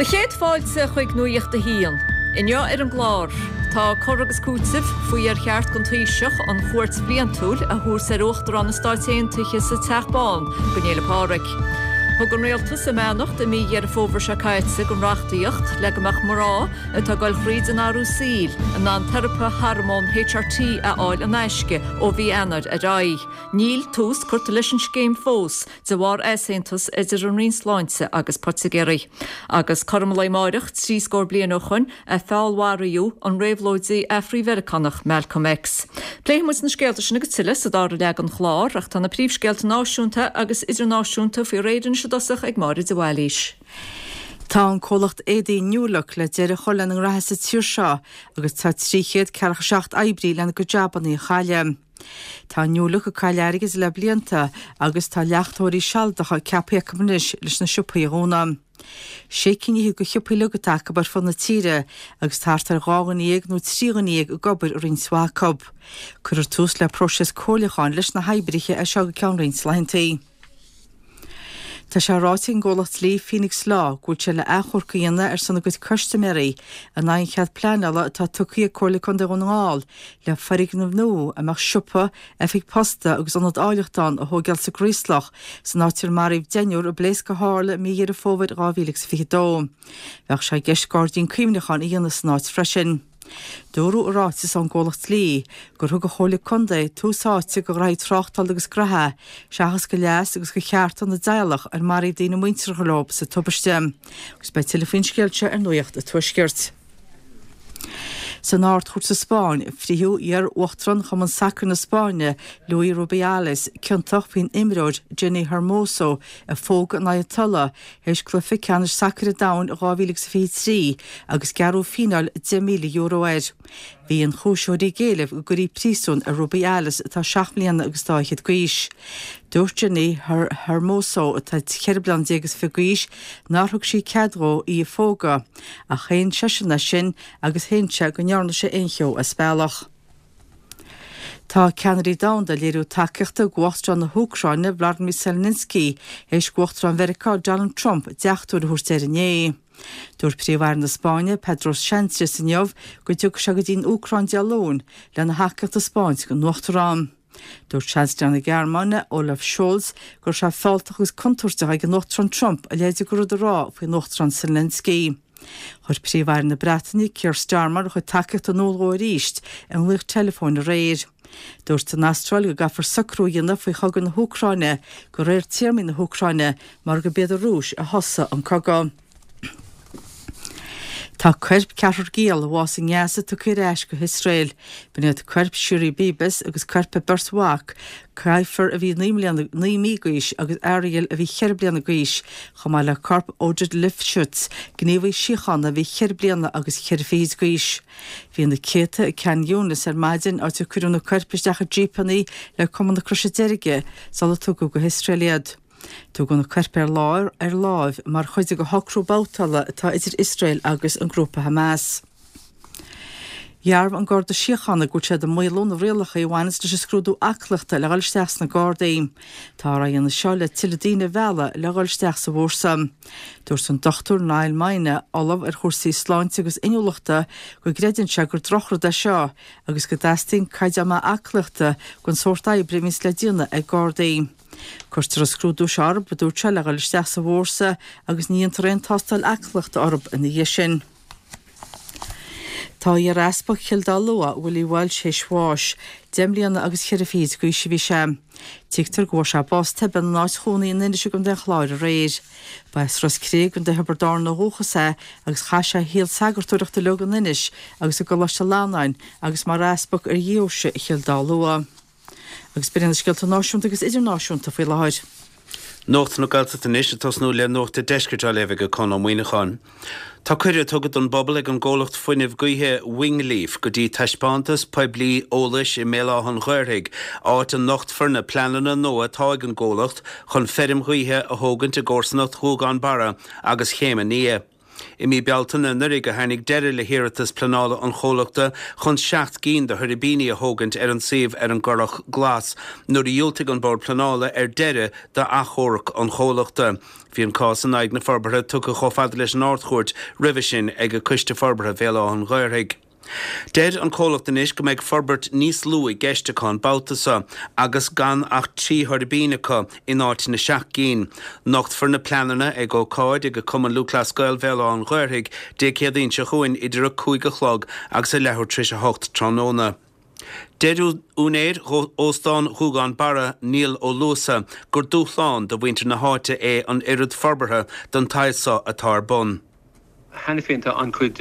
Do chéad fáilte chuig Nuacht a hAon. Inniu ar an gclár, tá cur agus cúiteamh faoi ar cheart don Taoiseach an chuairt bhliantúil a thabhairt ar Uachtarán na Stáit Aontaithe sa Teach Bán don Fhéile Pádraig. Thug an Rialtas a mbeannacht i mí Dheireadh Fómhair seo caite don reachtaíocht le go mbeadh mná atá ag dul thríd an athrú saoil in ann teiripe hormón HRT a fháil in aisce ó mhí Eanáir ar aghaidh. Níl tús curtha leis an scéim fós de bharr easaontas idir an Roinn Sláinte agus poitigéirí. Agus cothrom an lae amáireach, trí scór bliain ó shoin, a feallmharaíodh an réabhlóidí Afrai-Mheiriceánach Malcolm X. Pléifidh muid na scéalta sin agus tuilleadh sa dara leath den chlár, ach tá na príomhscéalta náisiúnta agus idirnáisiúnta faoi réir anois i dtosach ag Máire de Bhailís. Tá an comhlacht éadaí New Look le deireadh a chur lena ngraithe sa tír seo agus tá 347 oibrí lena gcuid jabannaí a chailleadh. Tá New Look ag cailleadh airgid le blianta agus tá leachtóirí sealadacha ceaptha acu anois leis na siopaí a dhúnadh. Sé cinn fhichead de shiopaí uilig atá acu ar fud na tíre agus tá thart ar 12 dhuine nó 13 dhuine ag obair i roinnt mhaith acu. Cuirfear tús le próiseas comhairliúcháin leis na hoibrithe as seo go ceann roinnt laethanta. Tá sé ráite ag an gcomhlacht dlí Phoenix Law go bhfuil sé le achomharc a dhéanamh ar son a gcuid custaiméirí in aghaidh an chead pleanála atá tugtha ag Comhairle Contae Dhún na nGall le foirgneamh nua a mbeadh siopa, oifig posta agus ionad áilleachta ann a thóigeáil sa gCraoslach san áit ar maraíodh deichniúr i bpléasc a tharla i mí Dheireadh Fómhair 2022. Bheadh sé i gceist gairdín cuimhneacháin a dhéanamh san áit freisin. Dúradh i ráiteas ón gcomhlacht dlí gur thug an Chomhairle Contae tús áite do ghraithí tráchtála agus graithe seachas do leas agus do chearta na dteaghlach ar maraíodh daoine muinteartha leo sa tubaiste. Agus beidh tuilleadh faoin scéal seo ar Nuacht an Tuaiscirt. San Ard-Chúirt sa Spáinn, frítheadh iar-uachtarán Chumann Sacair na Spáinne, Luis Rubiales, ciontach faoin imreoir Jenni Hermoso a phógadh in aghaidh a tola théis cluiche ceannais sacair an domhain 2023 agus gearradh fíneáil €10,000 air. Bhí ionchúisitheoirí ag éileamh go gcuirfí príosún ar Rubiales atá seacht mbliana agus dá fhichead d'aois. Dúirt Jenni Hermoso, atá 14 bliana is fiche d'aois, nár thug sí cead dhó í a phógadh, ach shéan seisean é sin agus shéan sé go ndearna sé aon cheo as bealach. Tá ceannairí domhanda ag léiriú tacaíochta d'Uachtarán na hÚcráine, Vladimir Zelensky, théis d'Uachtarán Mheiriceá, Donald Trump, deachtóir a thabhairt air inné. Dúirt Príomh-Aire na Spáinne, Pedro Sánchez inniu go dtiocfaidh sé go dtí an Úcráin Dé Luain lena thacaíocht a 'spáint don Uachtarán. Dúirt Seansailéir na Gearmáine, Olaf Scholz, go raibh sé fealltach agus contúirteach ag an Uachtarán Trump a leithéid de rud a rá faoin Uachtarán Zelensky. Chuir Príomh-Aire na Breataine, Keir Starmer, a chuid tacaíochta in iúl dhó arís i nglaoch teileafóin aréir. Dúirt an Astráil go gcaithfear socrú a dhéanamh faoi chogadh na hÚcráine de réir téarmaí na hÚcráine mar gurb iad an Rúis a thosaigh an cogadh. Tá coirp ceathrar giall a bhásaigh i nGaza tugtha ar ais go hIosrael. B'in iad coirp Shiri Bibas agus coirp a beirt mhac, Kfir a bhí 9 mbliana, 9 mí d'aois agus Ariel a bhí 4 bliana d'aois, chomh maith le corp Oded Lifshitz, gníomhaí síochána a bhí ceithre bliana agus cheithre fichid d'aois. Bhí na céadta i Khan Younis ar maidin, áit ar cuireadh na coirp isteach i jípeanna le Cumann na Croise Deirge sular tugadh go hIosrael iad. Tugadh na coirp ar ar láimh mar chuid de shocrú babhtála atá idir Iosrael agus an grúpa Hamas. Dhearbhaigh an Garda Síochána go bhfuil siad ag maolú na rialacha a bhaineanns leis an scrúdú aclaíochta le dhul isteach sna Gardaí. Táthar á dhéanamh seo le tuilleadh daoine a mhealladh le dhul isteach sa bhfórsa. Dúirt an Dr Niall Moyna, Ollamh ar chúrsaí sláinte agus inniúlachta, go gcreideann sé gur drochrud é seo agus go dteastaíonn caighdeán maith aclaíochta don sórt oibre a bhíonns le déanamh ag Gardaí. Cuirtear an scrúdú seo orthu, a dúirt sé, le dhul isteach sa bhfórsa agus ní dhéantar aon tástáil aclaíochta orthu ina dhiaidh sin. Tá iar-easpag Chill Dá Lua, Willie Walsh, théis bháis. Deich mbliana agus cheithre fichid d'aois a bhí sé. Tuigtear go bhfuair sé bás tobann ina áit chónaí in Inis i gContae an Chláir aréir. Ba as Ros Cré i gContae Thiobraid Árann ó dhúchas é agus chaith sé a shaol sagartóireachta uilig in Inis agus i gColáiste Fhlannáin agus mar easpag ar dheoise Chill Dá Lua. Agus b'in iad na scéalta náisiúnta agus idirnáisiúnta faoi láthair. Nuacht na Gaeltachta anois, ag tosnú le Nuacht an Deiscirt á léamh ag Conn Ó Muíneacháin. Tá cuireadh tugtha don bpobal ag an gcomhlacht fuinnimh gaoithe Wingleaf go dtí taispeántas poiblí eolais i mBéal Átha an Ghaorthaidh, áit a nochtfar na pleananna nua atá ag an gcomhlacht chun feirm ghaoithe a thógaint i gcomharsanacht Ghuagán Barra agus Chéim an Fhia. I mí Bealtaine anuraidh a tháinig deireadh le hiarratas pleanála an chomhlachta chun 7 gcinn de thuirbíní a thógaint ar an suíomh ar an gCurrach Glas nuair a dhiúltaigh an Bord Pleanála ar deireadh d'achomharc an chomhlachta. Bhí an cás in aghaidh na forbartha tugtha chomh fada leis an Ard-Chúirt roimhe sin ag Coiste Forbartha Bhéal Átha an Ghaorthaidh. Deir an comhlacht anois go mbeidh forbairt níos lú i gceist acu an babhta seo agus gan ach 3 thuirbín acu in áit na seacht gcinn. Nochtfar na pleananna ag ócáid ag Cumann Lúthchleas Gael Bhéal Átha an Ghaorthaidh Dé Céadaoin seo chugainn idir 5 a chlog agus a leathuair tar éis 8 tráthnóna. Deir úinéir Óstán Ghuagán Barra, Niall Ó Luasa, gur dúshlán do mhuintir na háite é an oiread forbartha den tsaghas seo atá ar bun. Cheana féin tá an-chuid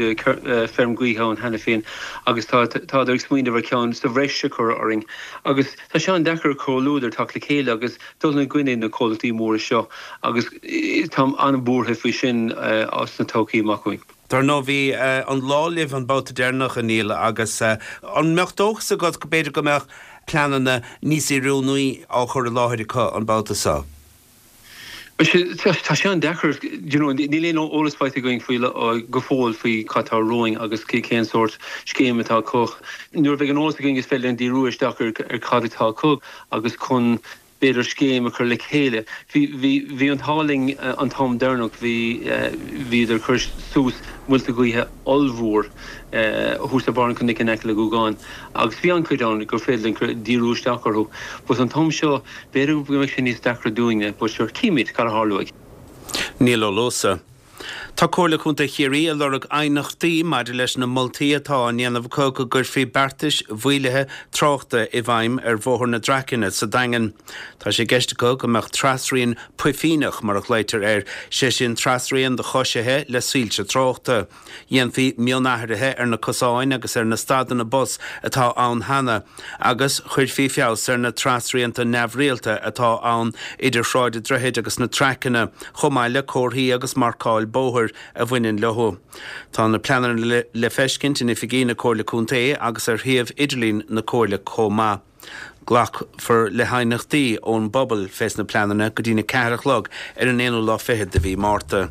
feirm gaoithe ann cheana féin agus tá tádar ag smaoineamh ar cheann sa bhreis a chur orainn agus tá sé an-deacair comhluadar teacht le chéile agus dul i gcoinne na comhlachtaí móra seo agus táim an-bhuartha faoi sin sna todhchaí amach romhainn. Dar ndóigh bhí an lá libh an babhta deireanach, a Niall, agus an mbeadh dóchas agat go b'fhéidir go mbeadh pleananna níos oiriúnaí á chur i láthair acu an babhta seo? Tá sé an-deacair, you know, níl aon eolas faighte againn faoi go fóill faoi cad tá romhainn agus cén sórt scéim atá acu. Nuair a bheidh an eolas againn is féidir linn díriú isteach ar cad atá acu agus chun b'fhéidir scéim a chur le chéile. Bhí, bhí, bhí an t-ádh linn an t-am deireanach, bhí, bhíodar ag cur suas muilte gaoithe ollmhór thuas ar barr an chnoic in aice le Gúgán agus bhí an-chuid ann gur féidir linn cur, díriú isteach orthu. But an t-am seo, b'fhéidir go mbeidh sé níos deacra dúinne, but sure, címid cad a tharlóidh. Niall Ó Luasa. Tá Comhairle Contae Chiarraí ag lorg aighneachtaí maidir leis na moltaí atá á ndéanamh acu go gcuirfí beartais mhaolaithe tráchta i bhfeidhm ar Bhóthar na Draicne sa Daingean. Tá sé i gceist acu go mbeadh trasrian puifíneach, mar a ghlaoitear air, sé sin trasrian do choisithe le soilse tráchta. Dhéanfaí mionathruithe ar na cosáin agus ar na stadanna bus atá ann cheana agus chuirfí feabhas ar na trasrianta neamhrialta atá ann idir Sráid an Droichid agus na Traiceanna, chomh maith le comharthaí agus marcáil bóthair a bhaineann leo. Tá na pleananna le feiscint in oifigí na Comhairle Contae agus ar shuíomh idirlín na Comhairle chomh maith. Glacfar le haighneachtaí ón bpobal fés na pleananna go dtí'n 4 a chlog ar an aonú lá fichead de mhí Márta.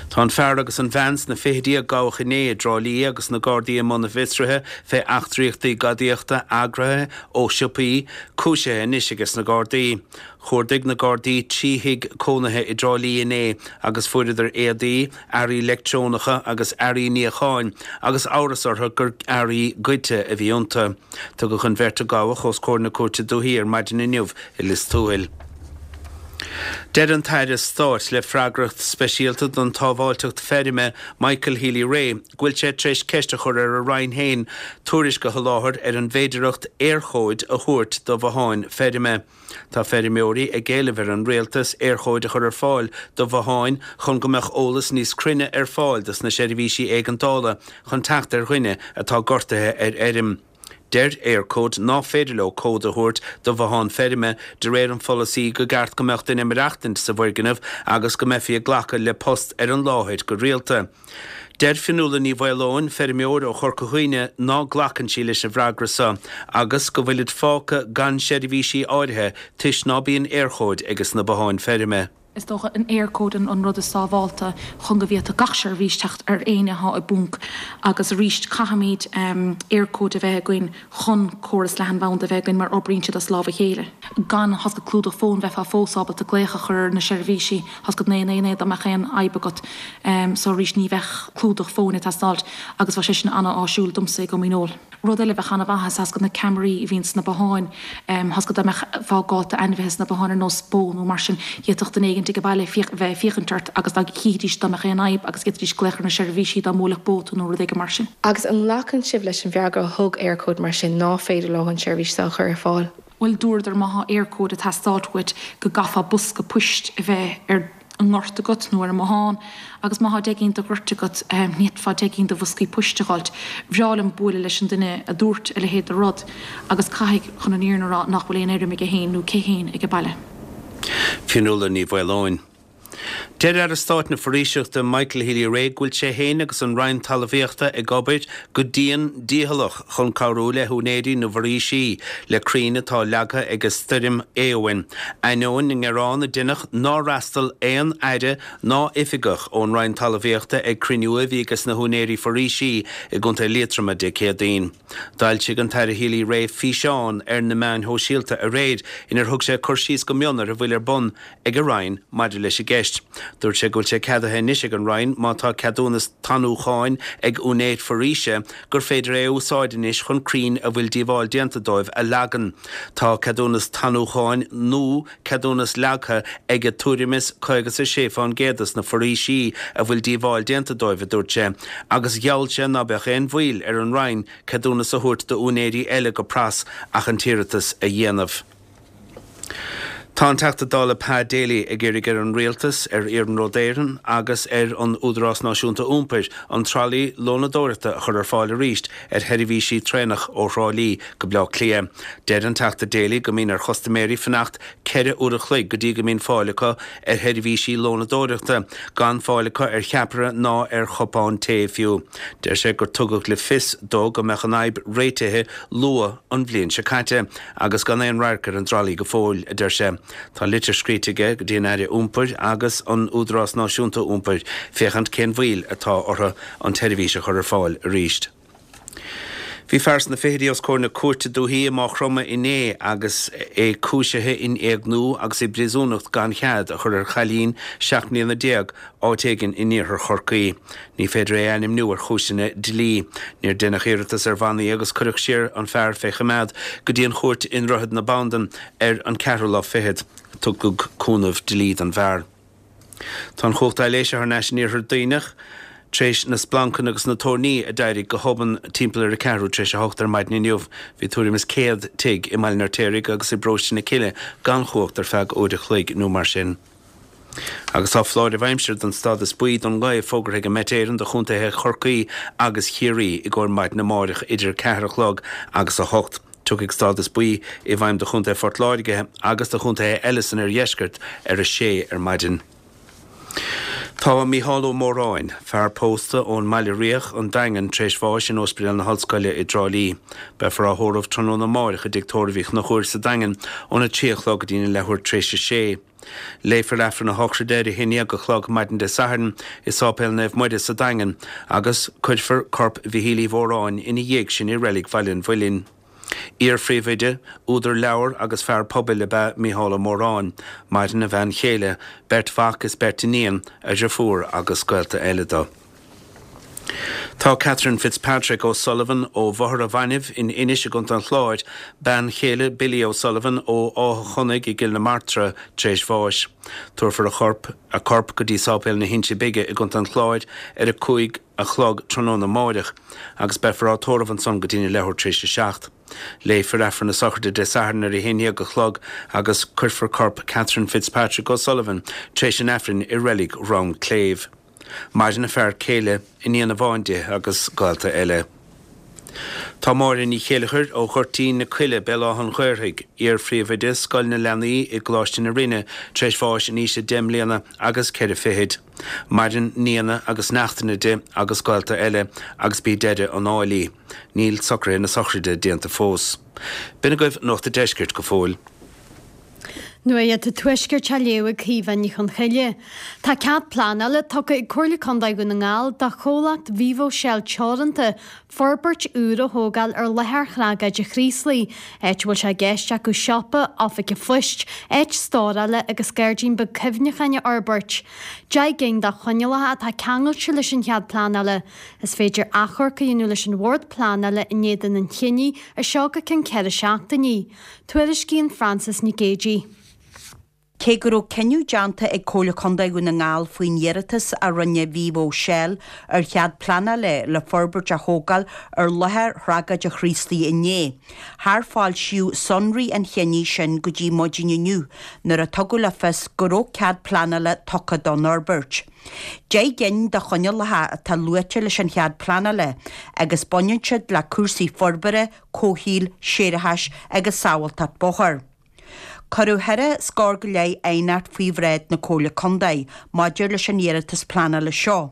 Tá an fear agus an bhean sna fichidí a gabhadh inné i dTrá Lí agus na Gardaí i mbun a bhfiosraithe fé eachtraíochtaí gadaíochta eagraithe ó shiopaí, cúisithe anois ages na Gardaí. Chuardaigh na Gardaí 3 thigh cónaithe i dTrá Lí inné agus fuaireadar éadaí, earraí leictreonacha agus earraí níocháin agus amhras orthu gur earraí goidte a bhí iontu. Tugadh an bheirt a gabhadh os comhair na Cúirte Dúichí ar maidin inniu i Lios Tuathail. Deir an tAire Stáit le freagracht speisialta don tsábháilteacht feirme, Michael Healy-Rae, go bhfuil sé tar éis ceist a chur ar a roinn féin tuairisc a sholáthar ar an bhféidearthacht Éirchóid a thabhairt do bhotháin feirme. Tá feirmeoirí ag éileamh ar an Rialtas Éirchóid a chur ar fáil do bhotháin chun go mbeadh eolas níos cruinne ar fáil dos na seirbhísí éigeandála chun teacht ar dhuine atá gortaithe ar fheirm. Deir Eircode ná féidir leo cód a thabhairt do bhothán feirme de réir an pholasaí go gceart go mbeadh duine ag maireachtaint sa bhfoirgneamh agus go mbeifí ag glacadh le post ar an láthair go rialta. Deir Fionnuala Ní Mhaoileoin, feirmeoir ó Chorca Dhuibhne, ná glacann sí leis an bhfreagra seo agus go bhfuilid fágtha gan seirbhísí áirithe toisc ná bíonn Éirchóid ages na botháin feirme. Is dócha an Éirchód an rud is sábhálta chun go bhféadfadh gach seirbhís teacht ar éinne athá i bponc agus arís caithfimid Éirchóid a bheith againn chun córas leathanbhanda a bheith againn mar oibríonn siad as lámh a chéile. Gan tá a fhios agat clúdach fóin bheifeá fós ábalta glaoch a chur ar na seirbhísí, tá a fhios agat 999 dá mbeadh aon fhadhb agat. So arís ní bheadh clúdach fóin ag teastáilt agus bheadh sé sin an-áisiúil domsa i gCom Dhíneol. Rud eile a bheadh an-mhaith is tá a fhios agat na ceamaraí a bhíonn sna botháin, tá a fhios agat dá mbeifeá gaolta ainmhithe sna botháin ar nós bó nó mar sin, d'fhéadfadh duine éigin ag an baile bheith ag féachaint ort agus dá chífidís dá mbeadh aon fhadhb agus d'fhéadfaidís glaoch ar na seirbhísí dá mbuailfeadh bó tú nó rud éigin mar sin. Agus an nglacann sibh leis an bhfreagra a thug Eircode mar sin ná féidir leo an tseirbhís seo a chur ar fáil? Bhuel dúradar má thá Eircode ag teastáilt uait go gcaithfeá bosca poist a bheith ar an ngort agat nó ar an mbothán agus má thá deich gcinn de ghoirt agat ní fhéadfá deich gcinn de bhoscaí poist a dh'fháilt. Bhreá liom buaileadh leis an duine a dúirt a leithéid de rud agus caithfidh, chun an fhírinne a rá, nach bhfuil aon fheirm aige féin nó aici féin ag an baile. Fionnuala Ní Mhaoileoin. Deir Aire Stáit na Foraoiseachta Michael Healy-Rae go bhfuil sé féin agus an Roinn Talmhaíochta ag obair go dian dícheallach chun cabhrú le húinéirí na bhforaoisí le crainn atá leagtha ag an stoirm Éowyn, ainneoin na ngearán a deineadh nár fhreastal aon aire ná oifigeach ón Roinn Talmhaíochta ag cruinniú a bhí ages na húinéirí foraoisí i gContae Liatroma Dé Céadaoin. D'fhoilsigh an tAire Healy-Rae físeán ar na meáin shóisialta aréir inar thug sé cur síos go mion ar a bhfuil ar bun ag a Roinn maidir leis an gceist. Dúirt sé go bhfuil sé ceadaithe anois ag an Roinn má tá ceadúnas tanúcháin ag úinéir foraoise gur féidir é a úsáid anois chun crainn a bhfuil díobháil déanta dóibh a leagan. Tá ceadúnas tanúcháin nó ceadúnas leagtha ag tuairim is 56 fán gcéad des na foraoisí a bhfuil díobháil déanta dóibh, a dúirt sé, agus gheall sé ná beadh aon mhoill ar an Roinn ceadúnas a thabhairt d'úinéirí eile go pras ach an t-iarratas a dhéanamh. Tá an Teachta Dála Pa Daly ag iarraidh ar an Rialtas, ar Iarnród Éireann agus ar an Údarás Náisiúnta Iompair an tralaí lónadóireachta a chur ar fáil arís ar sheirbhísí traenach ó Thrá Lí go Bleá Cliath. Deir an Teachta Daly go mbíonn ar chustaiméirí fanacht 4 uair a chloig go dtí go mbíonn fáil acu ar sheirbhísí lónadóireachta, gan fáil acu ar cheapaire ná ar chupán tae fiú. Deir sé gur tugadh le fios dó go mbeadh an fhadhb réitithe luath an bhliain seo caite. Agus gan aon radharc ar an dtralaí go fóill, a deir sé. Tá litir scríte aige go dtí an Aire Iompair agus an Údarás Náisiúnta Iompair féachaint cén mhoill atá orthu an tseirbhís a chur ar fáil arís. Bhí fear sna fichidí os comhair na cúirte dúichí i Maigh Chromtha inné agus é cúisithe in éigniú agus i bpríosúnacht gan chead a chur ar chailín 17 mbliana áit éigin in iarthar Chorcaí. Ní féidir é a ainmniú ar chúiseanna dlí. Níor deineadh iarratas ar bhannaí agus cuireadh siar an fear fé choimeád go dtí an chúirt i nDroichead na Bandan ar an ceathrú lá fichead. Tugadh cúnamh dlí don bhfear. Tá an chumhacht aibhléise thar n-ais in iarthar Duibhneach tar éis na splancanna agus na toirní a d'éirigh go hobann timpeall ar a ceathrú tar éis a hocht ar maidin inniu. Bhí tuairim is 100 tigh i mBaile an Fheirtéaraigh agus i bparóiste na Cille gan chumhacht ar feadh uair a chloig nó mar sin. Agus tá foláireamh aimsire den stádas buí don ghaoth fógartha ag an Met Éireann do chontaetha Chorcaí agus Chiarraí i gcomhair maidin amáireach idir 4 a chlog agus 8. Tiocfaidh stádas buí i bhfeidhm do chontae Phort Láirge agus do chontaetha eile san oirdheisceart ar 6 ar maidin. Tá Mícheál Ó Móráin, fear pósta ón mBaile Riach, An Daingean, tar éis bháis in Ospidéal na hOllscoile i dTrá Lí. Beifear á thórramh tráthnóna amáireach i dTigh Tórraimh Uí Chonchúir sa Daingean óna 3 a chlog go dtína leathuair tar éis a sé. Léifear Aifreann a shochraide ar a haon dhéag a chlog maidin Dé Sathairn i Sáipéal Naomh Muire sa Daingean agus cuirfear corp Mhichíl Uí Mhóráin ina dhiaidh sin i Reilig Bhaile an Mhuilinn. Iar-phríomhoide, údar leabhar agus fear pobail ab ea Mícheál Ó Móráin. Maireann a bhean chéile, beirt mhac is beirt iníon, a dhriofúr agus gaolta eile dó. Tá Catherine Fitzpatrick O'Sullivan ó Bhóthar a' Bhainbh in Inis i gContae an Chláir, bean chéile Billy O'Sullivan ó Áth Chonnaigh i gCill na Martra, tar éis bháis. Tabharfar a chorp a corp go dtí Sáipéal na hInse Bige i gContae an Chláir ar a 5 a chlog tráthnóna amáireach agus beifear á tórramh ansan go dtína leathuair tar éis a 7. Léifear Aifreann na sochraide Dé Sathairn ar a 11 a chlog agus cuirfear corp Catherine Fitzpatrick O'Sullivan tar éis an Aifrinn i Reilig Dhrom Cléibh. Maireann a fear céile, iníon amháin di agus gaolta eile. Tá Máire Ní Chéileachair ó Ghoirtín na Coille, Béal Átha an Ghaorthaidh, iar-phríomhoide Scoil na Leanaí i gColáiste na Rinne, tar éis bháis in aois a deich mbliana agus ceithre fichid. Maireann nianna agus neachtanna di agus gaolta eile agus b'í deireadh an áil í. Níl socruithe na sochraide déanta fós. B'in agaibh Nuacht a' Deiscirt go fóill. Nuacht an Tuaiscirt á léamh ag Caoimhe Ní Chonchoille. Tá cead pleanála tugtha ag Comhairle Contae Dhún na nGall do chomhlacht Vivo Shell Teoranta forbairt úr a thógáil ar láthair Thriogáide Chraoslaigh, áit a bhfuil sé i gceist acu siopa, oifig an phoist, áit stórála agus gairdín beag cuimhneacháin a fhorbairt. 10 gcinn de choinníollacha atá ceangailte leis an chead pleanála. Is féidir achomharc a dhéanamh leis an Bhord Pleanála in éadan an chinnidh as seo go ceann 4 seachtainí. Tuairiscíonn Frances Nic Géadaigh. Cé go raibh cinneadh déanta ag Comhairle Contae Dhún na nGall faoin iarratas a rinne Vivo Shell ar chead pleanála le forbairt a thógáil ar láthair Thriogáide Chraoslaigh inné, char foilsíodh sonraí an chinnidh sin go dtí maidin inniu nuair a tugadh le fios go raibh cead pleanála tugtha don fhorbairt. 10 gcinn de choinníollacha atá luaite leis an chead pleanála agus baineann siad le cúrsaí forbartha, comhshaoil, séarachais agus sábháilteacht bóthair. Cuireadh cheithre scór go leith aighneacht faoi bhráid na Comhairle Contae maidir leis an iarratas pleanála seo,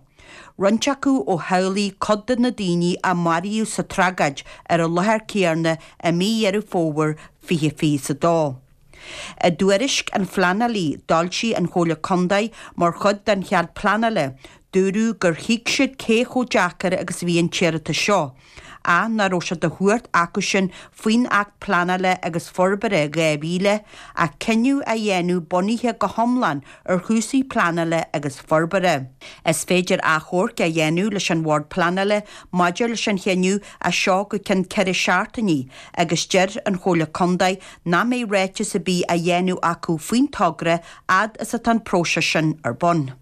roinnt acu ó theaghlaigh cuid de na daoine a maraíodh sa tragóid ar an láthair céanna i mí Dheireadh Fómhair 2022. I dtuairisc an phleanálaí d'fhoilsigh an Chomhairle Contae mar chuid den chead pleanála, dúradh gur thuig siad cé chomh deacair agus a bhí an t-iarratas seo, ach nach raibh sé de chumhacht acusan faoin Acht Pleanála agus Forbartha 2000 ach cinneadh a dhéanamh bunaithe go hiomlán ar chúrsaí pleanála agus forbartha. Is féidir achomharc a dhéanamh leis an Bhord Pleanála maidir leis an chinneadh as seo go ceann 4 seachtainí agus deir an Chomhairle Contae nach mbeidh ráiteas ar bith á dhéanamh acu faoin togra fhad is atá an próiseas sin ar bun.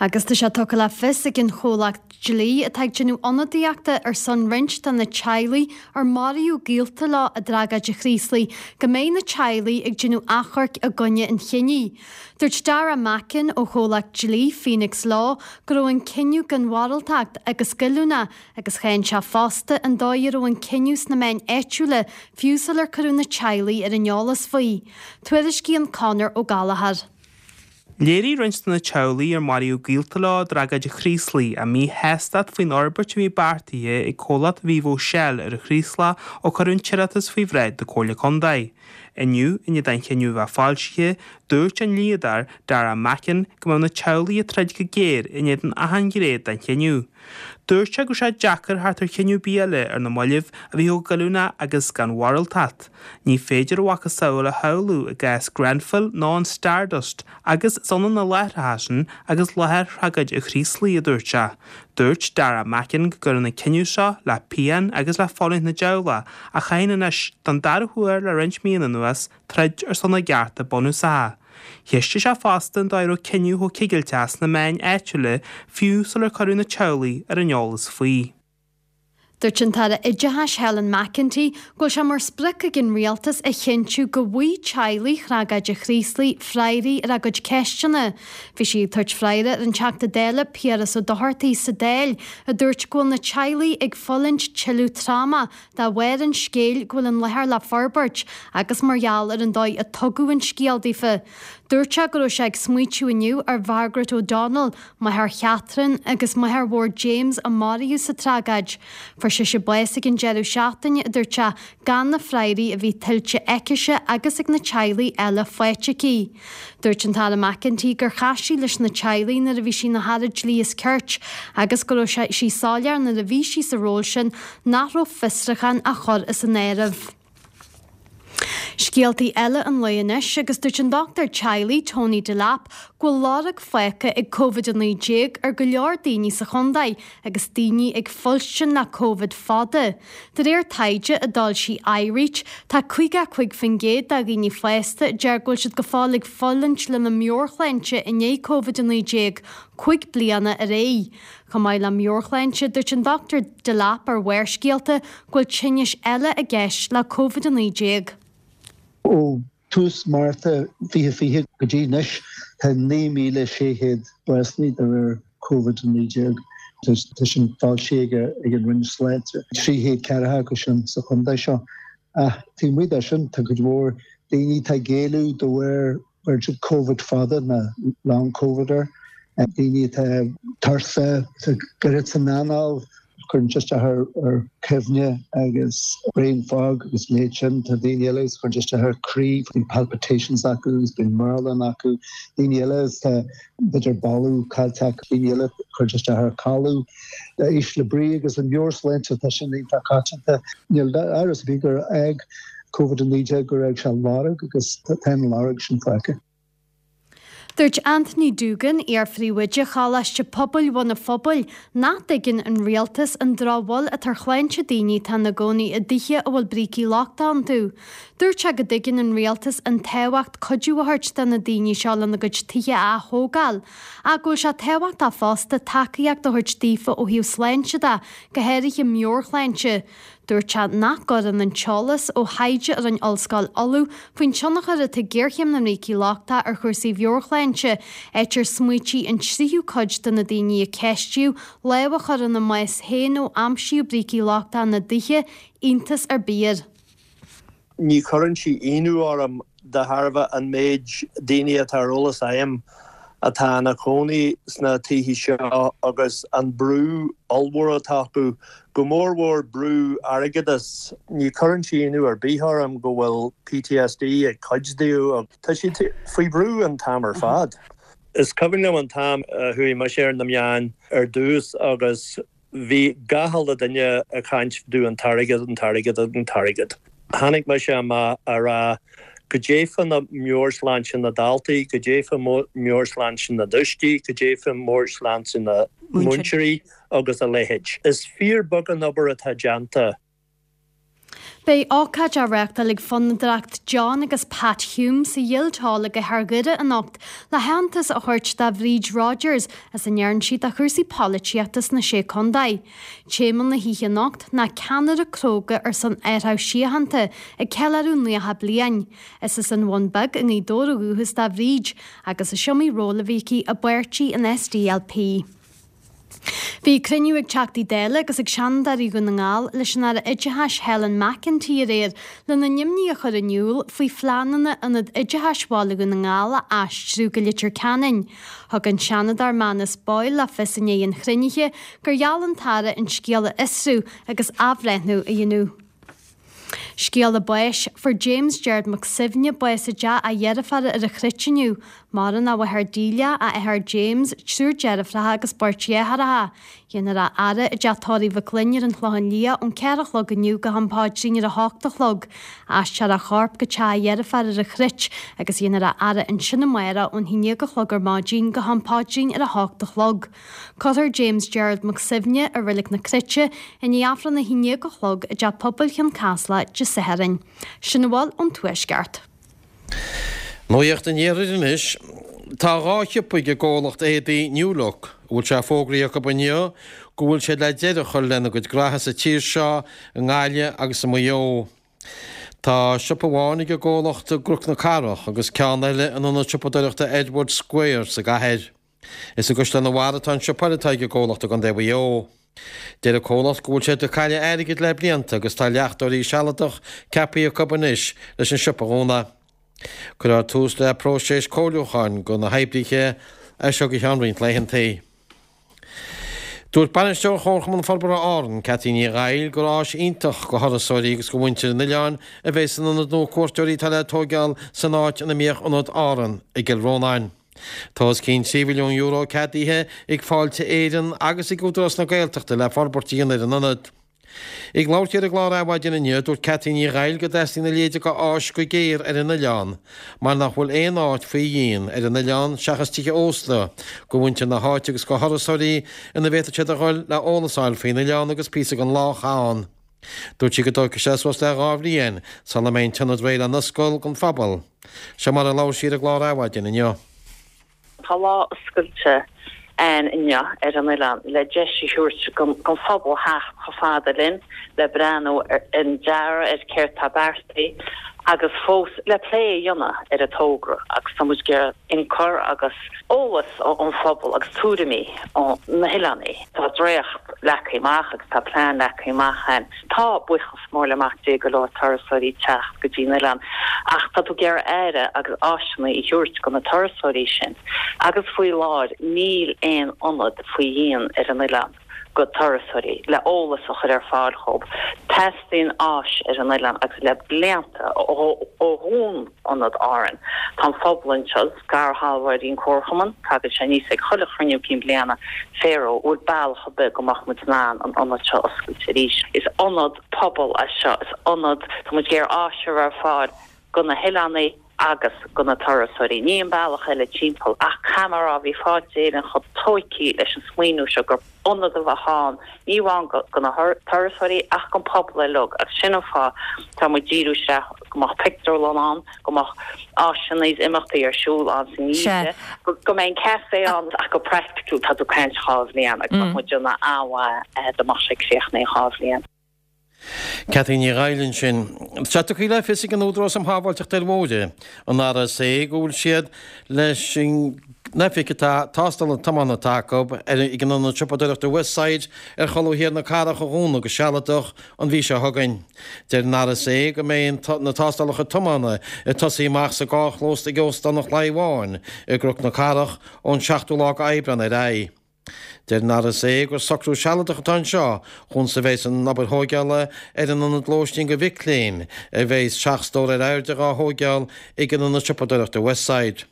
Agus tá sé tugtha le fios ag an chomhlacht dlí atá ag déanamh ionadaíochta ar son roinnt de na teaghlaigh ar maraíodh gaolta leo i dtragóid an Chraoslaigh go mbeidh na teaghlaigh ag déanamh achomhairc i gcoinne an chinnidh. Dúirt Dara Mackin ó chomhlacht dlí Phoenix Law go raibh an cinneadh gan mhoráltacht agus goilliúnach agus cháin sé fosta an dóigh a raibh an cinneadh sna meáin áitiúla fiú sular cuireadh na teaghlaigh ar an eolas faoi. Tuairiscíonn Conor Ó Gallchóir. Léirigh roinnt de na teaghlaigh ar maraíodh gaolta leo i dtragóid an Chraoslaigh a míshástacht faoin fhorbairt a bhí beartaithe ag comhlacht Vivo Shell ar an Chraoslach ó cuireadh an t-iarratas faoi bhráid na Comhairle Contae. Inniu, i ndiaidh don chinneadh a bheith foilsithe, dúirt an dlíodóir, Dara Mackin, go mbeadh na teaghlaigh ag troid go géar in éadan achan ghné den chinneadh. Dúirt sé go raibh sé deacair theacht ar chinneadh ar bith eile ar na mallaibh a bhí chomh goilliúnach agus gan mhoráltacht. Ní féidir a mhacasamhail a shamhlú i gcás Grenfell nó an Stardust agus is ionann na láithreacha sin agus láthair thragóid an Chraoslaigh, a dúirt sé. Dúirt Dara Mackin go gcuireann an cinneadh seo le pian agus le fulaingt na dteaghlach a chaitheann anois, don dara huair le roinnt míonna anuas, troid ar son a gcearta bunúsacha. Cheistigh sé fosta an dóigh a raibh cinneadh chomh cigilteach sna meáin áitiúla fiú sular cuireadh na teaghlaigh ar an eolas faoi. Dúirt an tAire Oideachais Helen McEntee go bhfuil sé mar sprioc ag an Rialtas a chinntiú go bhfaighidh teaghlaigh thragóid an Chraoslaigh freagraí ar a gcuid ceisteanna. Bhí sí ag tabhairt freagra ar an Teachta Dála Piaras Ó Dochartaigh sa Dáil a dúirt go bhfuil na teaghlaigh ag fulaingt tuilleadh tráma de bharr an scéil go bhfuil an láthair le forbairt agus mar gheall ar an dóigh a tugadh an scéal daofa. Dúirt sé go raibh sé ag smaoitiú inniu ar Mhargaret O'Donnell, máthair Chatherine agus máthair mhór James a maraíodh sa tragóid. Fuair sise bás ag an deireadh seachtaine, a dúirt sé, gan na freagraí a bhí tuillte aicise agus ag na teaghlaigh eile faighte aici. Dúirt an tAire McEntee gur chas sí leis na teaghlaigh nuair a bhí sí ina hAire Dlí is Cirt agus go raibh sí soiléir nuair a bhí sí sa ról sin nach raibh fiosrúchán á chur as an áireamh. Scéaltaí eile an lae anois agus dúirt an dochtúir teaghlaigh Tony Delap go bhfuil lorg fágtha ag Covid-19 ar go leor daoine sa chontae agus daoine ag fuilstin le Covid fada. De réir taighde a d'fhoilsigh iReach, tá 55% de dhaoine fásta a deir go bhfuil siad go fóill ag fulaingt lena meabhairshláinte i ndiaidh Covid-19, 5 bliana ar aghaidh. Chomh maith le meabhairshláinte, dúirt an Dr Delap ar Bharrscéalta go bhfuil tinnis eile i gceist le Covid-19. Ó Tús Márta 2020 go dtí anois, tá 9,600 básanna de réir Covid-19. Tá sin foilsithe ag an Roinn Sláinte. 300 ceathracha acu sin sa chontae seo. Ach taobh amuigh de sin, tá cuid mhór daoine atá ag éalú de bharr bheireann siad Covid fada nó long Covid air. Daoine atá tuirseach, tá goirt san anáil, cuireann sé isteach ar chuimhne agus brain fog agus a leithéid sin. Tá daoine eile agus cuireann sé isteach ar croí, bíonn palpitations acu agus bíonn mearbhlán acu. Daoine eile agus tá b'fhéidir boladh caillte acu. Daoine eile cuireann sé isteach ar codladh. Ísle brí agus an mheabhairshláinte, tá sin iontach coitianta. Níl amhras ar bith gur fhág Covid-19 gur fhág sé lorg agus tá an lorg sin fágtha. Dúirt Anthony Doogan, iar-phríomhoide Choláiste Pobail Bhun an Phobail, nach dtuigeann an rialtas an drochbhail atá ar shláinte daoine atá ina gcónaí i dtithe a bhfuil brící lochtacha iontu. Dúirt sé go dtuigeann an rialtas an tábhacht cuidiú a thabhairt do na daoine seo lena gcuid tithe a ath-thógáil, ach go bhfuil sé tábhachtach fosta tacaíocht a thabhairt daofa ó thaobh sláinte de, go háirithe meabhairshláinte. Dúirt sé nach gcuireann an t-eolas ó thaighde a rinne Ollscoil Uladh faoin tionchar atá ag géarchéim na mbrící lochtacha ar chúrsaí mheabhairshláinte, áit ar smaoitigh an tríú cuid de na daoine a ceistíodh lámh a chur ina mbás féin ó aimsíodh brící lochtacha ina dtithe, iontas ar bith air. Ní chuireann sí ionadh orm. de thairbhe an méid daoine atá ar eolas agam atá ina chónaí sna tithe seo agus an brú ollmhór atá acu, go mórmhór brú airgeadais. Ní chuireann sé ionadh ar bith orm go bhfuil PTSD ag cuid díobh. Tá siad faoi bhrú an t-am ar fad. Is cuimhin liom an t-am a chuaigh mise ar na meáin ar dtús agus Bhí gach uile duine ag caint fá dtaobh an t-airgead, an t-airgead, an t-airgead. Tháinig mise amach a rá goidé fá na meabhairshláinte na daltaí, goidé fá meabhairshláinte na dtuistí, goidé fá meabhairshláinte na múinteoirí agus a leithéid. Is fíor beag an obair atá déanta. Beidh ócáid á reáchtáil ag Fondúireacht John agus Pat Hume sa Ghild Hall i gcathair Dhoire anocht le haitheantas a thabhairt do Bhríd Rodgers as a ndearna sí do chúrsaí polaitíochta sna Sé Contae. Téama na hoíche anocht ná 'Ceannaire Cróga ar son Athrú Síochánta ag Ceiliúradh 90 Bliain'. Is as an Bhun Beag i nGaoth Dobhair ó dhúchas do Bhríd agus is iomaí ról a bhí aici i bpáirtí an SDLP. Bhí cruinniú ag Teachtaí Dála agus ag Seanadóirí Dhún na nGall leis an Aire Oideachais Helen McEntee aréir lena n-imní a chur in iúl faoi phleananna Ionad Oideachais Bhaile Dhún na nGall a aistriú go Leitir Ceanainn. Thug an Seanadóir Manus Boyle le fios i ndiaidh an chruinnithe gur gheall an tAire an scéal a fhiosrú agus athbhreithniú a dhéanamh. Scéala báis, Fuair James Gerard Mac Suibhne bás i dteach a dheirféara ar an Chruit inniu. Maireann a mháthair Delia, a athair James, triúr deirfiúracha agus beirt dheartháireacha. Déanfar a fhaire i dteach tórraimh Mhic Fhloinn ar an Chlochán Liath ón 4 a chlog inniu go ham paidrín ar a hocht a chlog. Aistreofar a chorp go teach a dheirféar ar an Chruit agus déanfar a fhaire ansin amárach ón haon déag a chlog ar maidin go ham paidrín ar a hocht a chlog. Cuirfear James Gerald Mac Suibhne i Reilig na Cruite i ndiaidh Aifreann a haon déag a chlog i dTeach Pobail Chionn Caslach Dé Sathairn. Sin a bhfuil ón Tuaisceart. Nuacht an Iarthair anois. Tá 2 shiopa ag an gcomhlacht éadaí New Look a bhfuil sé fógraithe acu inniu go bhfuil siad le deireadh a chur lena gcuid gnoithe sa tír seo, i nGaillimh agus i Maigh Eo. Tá siopa amháin ag an gcomhlacht i gCnoc na Cathrach agus ceann eile in ionad siopadóireachta Edward Square sa gcathair. Is i gCaisleán an Bharraigh atá an siopa eile atá ag an gcomhlacht i gContae Mhaigh Eo. Deir an comhlacht go bhfuil siad ag cailleadh airgid le blianta agus tá leachtóirí sealadach ceaptha acu anois leis an siopa a dhúnadh. Cuirfear tús le próiseas comhairliúcháin do na hoibrithe as seo go ceann roinnt laethanta. Dúirt Bainisteoir Chomharchumann Forbartha Árann, Cathy Ní Dhaill, gur áis iontach do thurasóirí agus do mhuintir an oileáin a bheidh san ionad nua cuairteoirí atá le tóigeáil san áit ina mbíodh Ionad Árann i gCill Rónáin. Tá os cionn €3 mhilliún ceadaithe ag Fáilte Éireann agus ag Údarás na Gaeltachta le forbairt a dhéanamh ar an ionad. Ag labhairt di ar an gclár Adhmhaidin inniu, dúirt Cathy Ní Dhaill go dteastaíonn a leithéid de áis go géar ar an oileán mar nach bhfuil aon áit faoi dhíon ar an oileán seachas tithe ósta do mhuintir na háite agus do thurasóirí ina bhféadfadh siad a dhul le eolas a fháil faoin oileán agus píosa den lá a chaitheamh ann. Dúirt sí go dtógfaidh sé suas le 2 bhliain sula mbeidh an t-ionad réidh le n-oscailt don phobal. Seo mar a labhair sí ar an gclár Adhmhaidin inniu. Tá lá oscailte ann inniu ar an oileán le deis a thabhairt don phobal theacht chomh fada linn le breathnú ar an dearadh, ar céard tá beartaithe agus fós le plé a dhéanamh ar an togra agus tá muid ag iarraidh ionchur agus eolas ón phobal agus tuairimí ó na hoileánaigh. Tá dréacht leagtha amach agus tá plean leagtha amach ann. Tá, buíochas mór le Mac Dé, go leor turasóirí ag teacht go dtí an oileán ach tá tú ag iarraidh aire agus áiseanna a thabhairt do na turasóirí sin agus faoi láthair níl aon ionad faoi dhíon ar an oileán. go turasóirí, le eolas a chur ar fáil dhóibh. Teastaíonn áis ar an oileán agus le blianta, ó dhún Ionad Árann, tá an phobal anseo, scairshealbhóirí an Comharchumann, tagann sé aníos ag chuile chruinniú cinn bliana, Phero, bhfuil bealach ar bith go mbeadh muid in ann an ionad seo a oscailt arís. Is ionad pobail é seo, is ionad, tá muid ag iarraidh áis a chur ar fáil go na hoileánaigh, agus go na turasóirí. Ní an bealach eile timpeall. Ach caithfidh mé a rá, bhí Fáilte Éireann chomh tóigthe leis an smaoineamh seo gur ionad a bheadh ann, ní amháin go na turasóirí ach don pobal uilig. Agus sin an fáth tá muid díriú isteach go mbeadh pictiúrlann ann, go mbeadh áiseanna is imeachtaí ar siúl ann san oíche, go mbeidh an café ann ach go praiticiúil tá tú ag caint dhá bhliain agus bheadh muid ag déanamh an-mhaith dá mbeadh sé críochnaithe in dhá bhliain. Cathy Ní Dhaill ansin. Tá tugtha le fios ag an Údarás um Shábháilteacht ar Bhóithre, an RSA, go bhfuil siad leis an. n-oifig atá tástála tiomána atá acu ar ag an ionad siopadóireachta Westside ar cholbha thiar na cathrach a dhúnadh go sealadach an mhí seo chugainn. Deir an RSA go mbeidh na tástálacha tiomána ag tosaí amach sa gcarrchlós ag Óstán an Chlaí Bháin i gCnoc na Cathrach ón 7ú lá d'Aibreán ar aghaidh. Deir an RSA gur socrú sealadach atá anseo chúns a bheas an obair thóigeála ar an ionad lóistín do mhic léinn a bheas 7 stór ar airde dhá thóigeáil ag an ionad siopadóireachta Westside.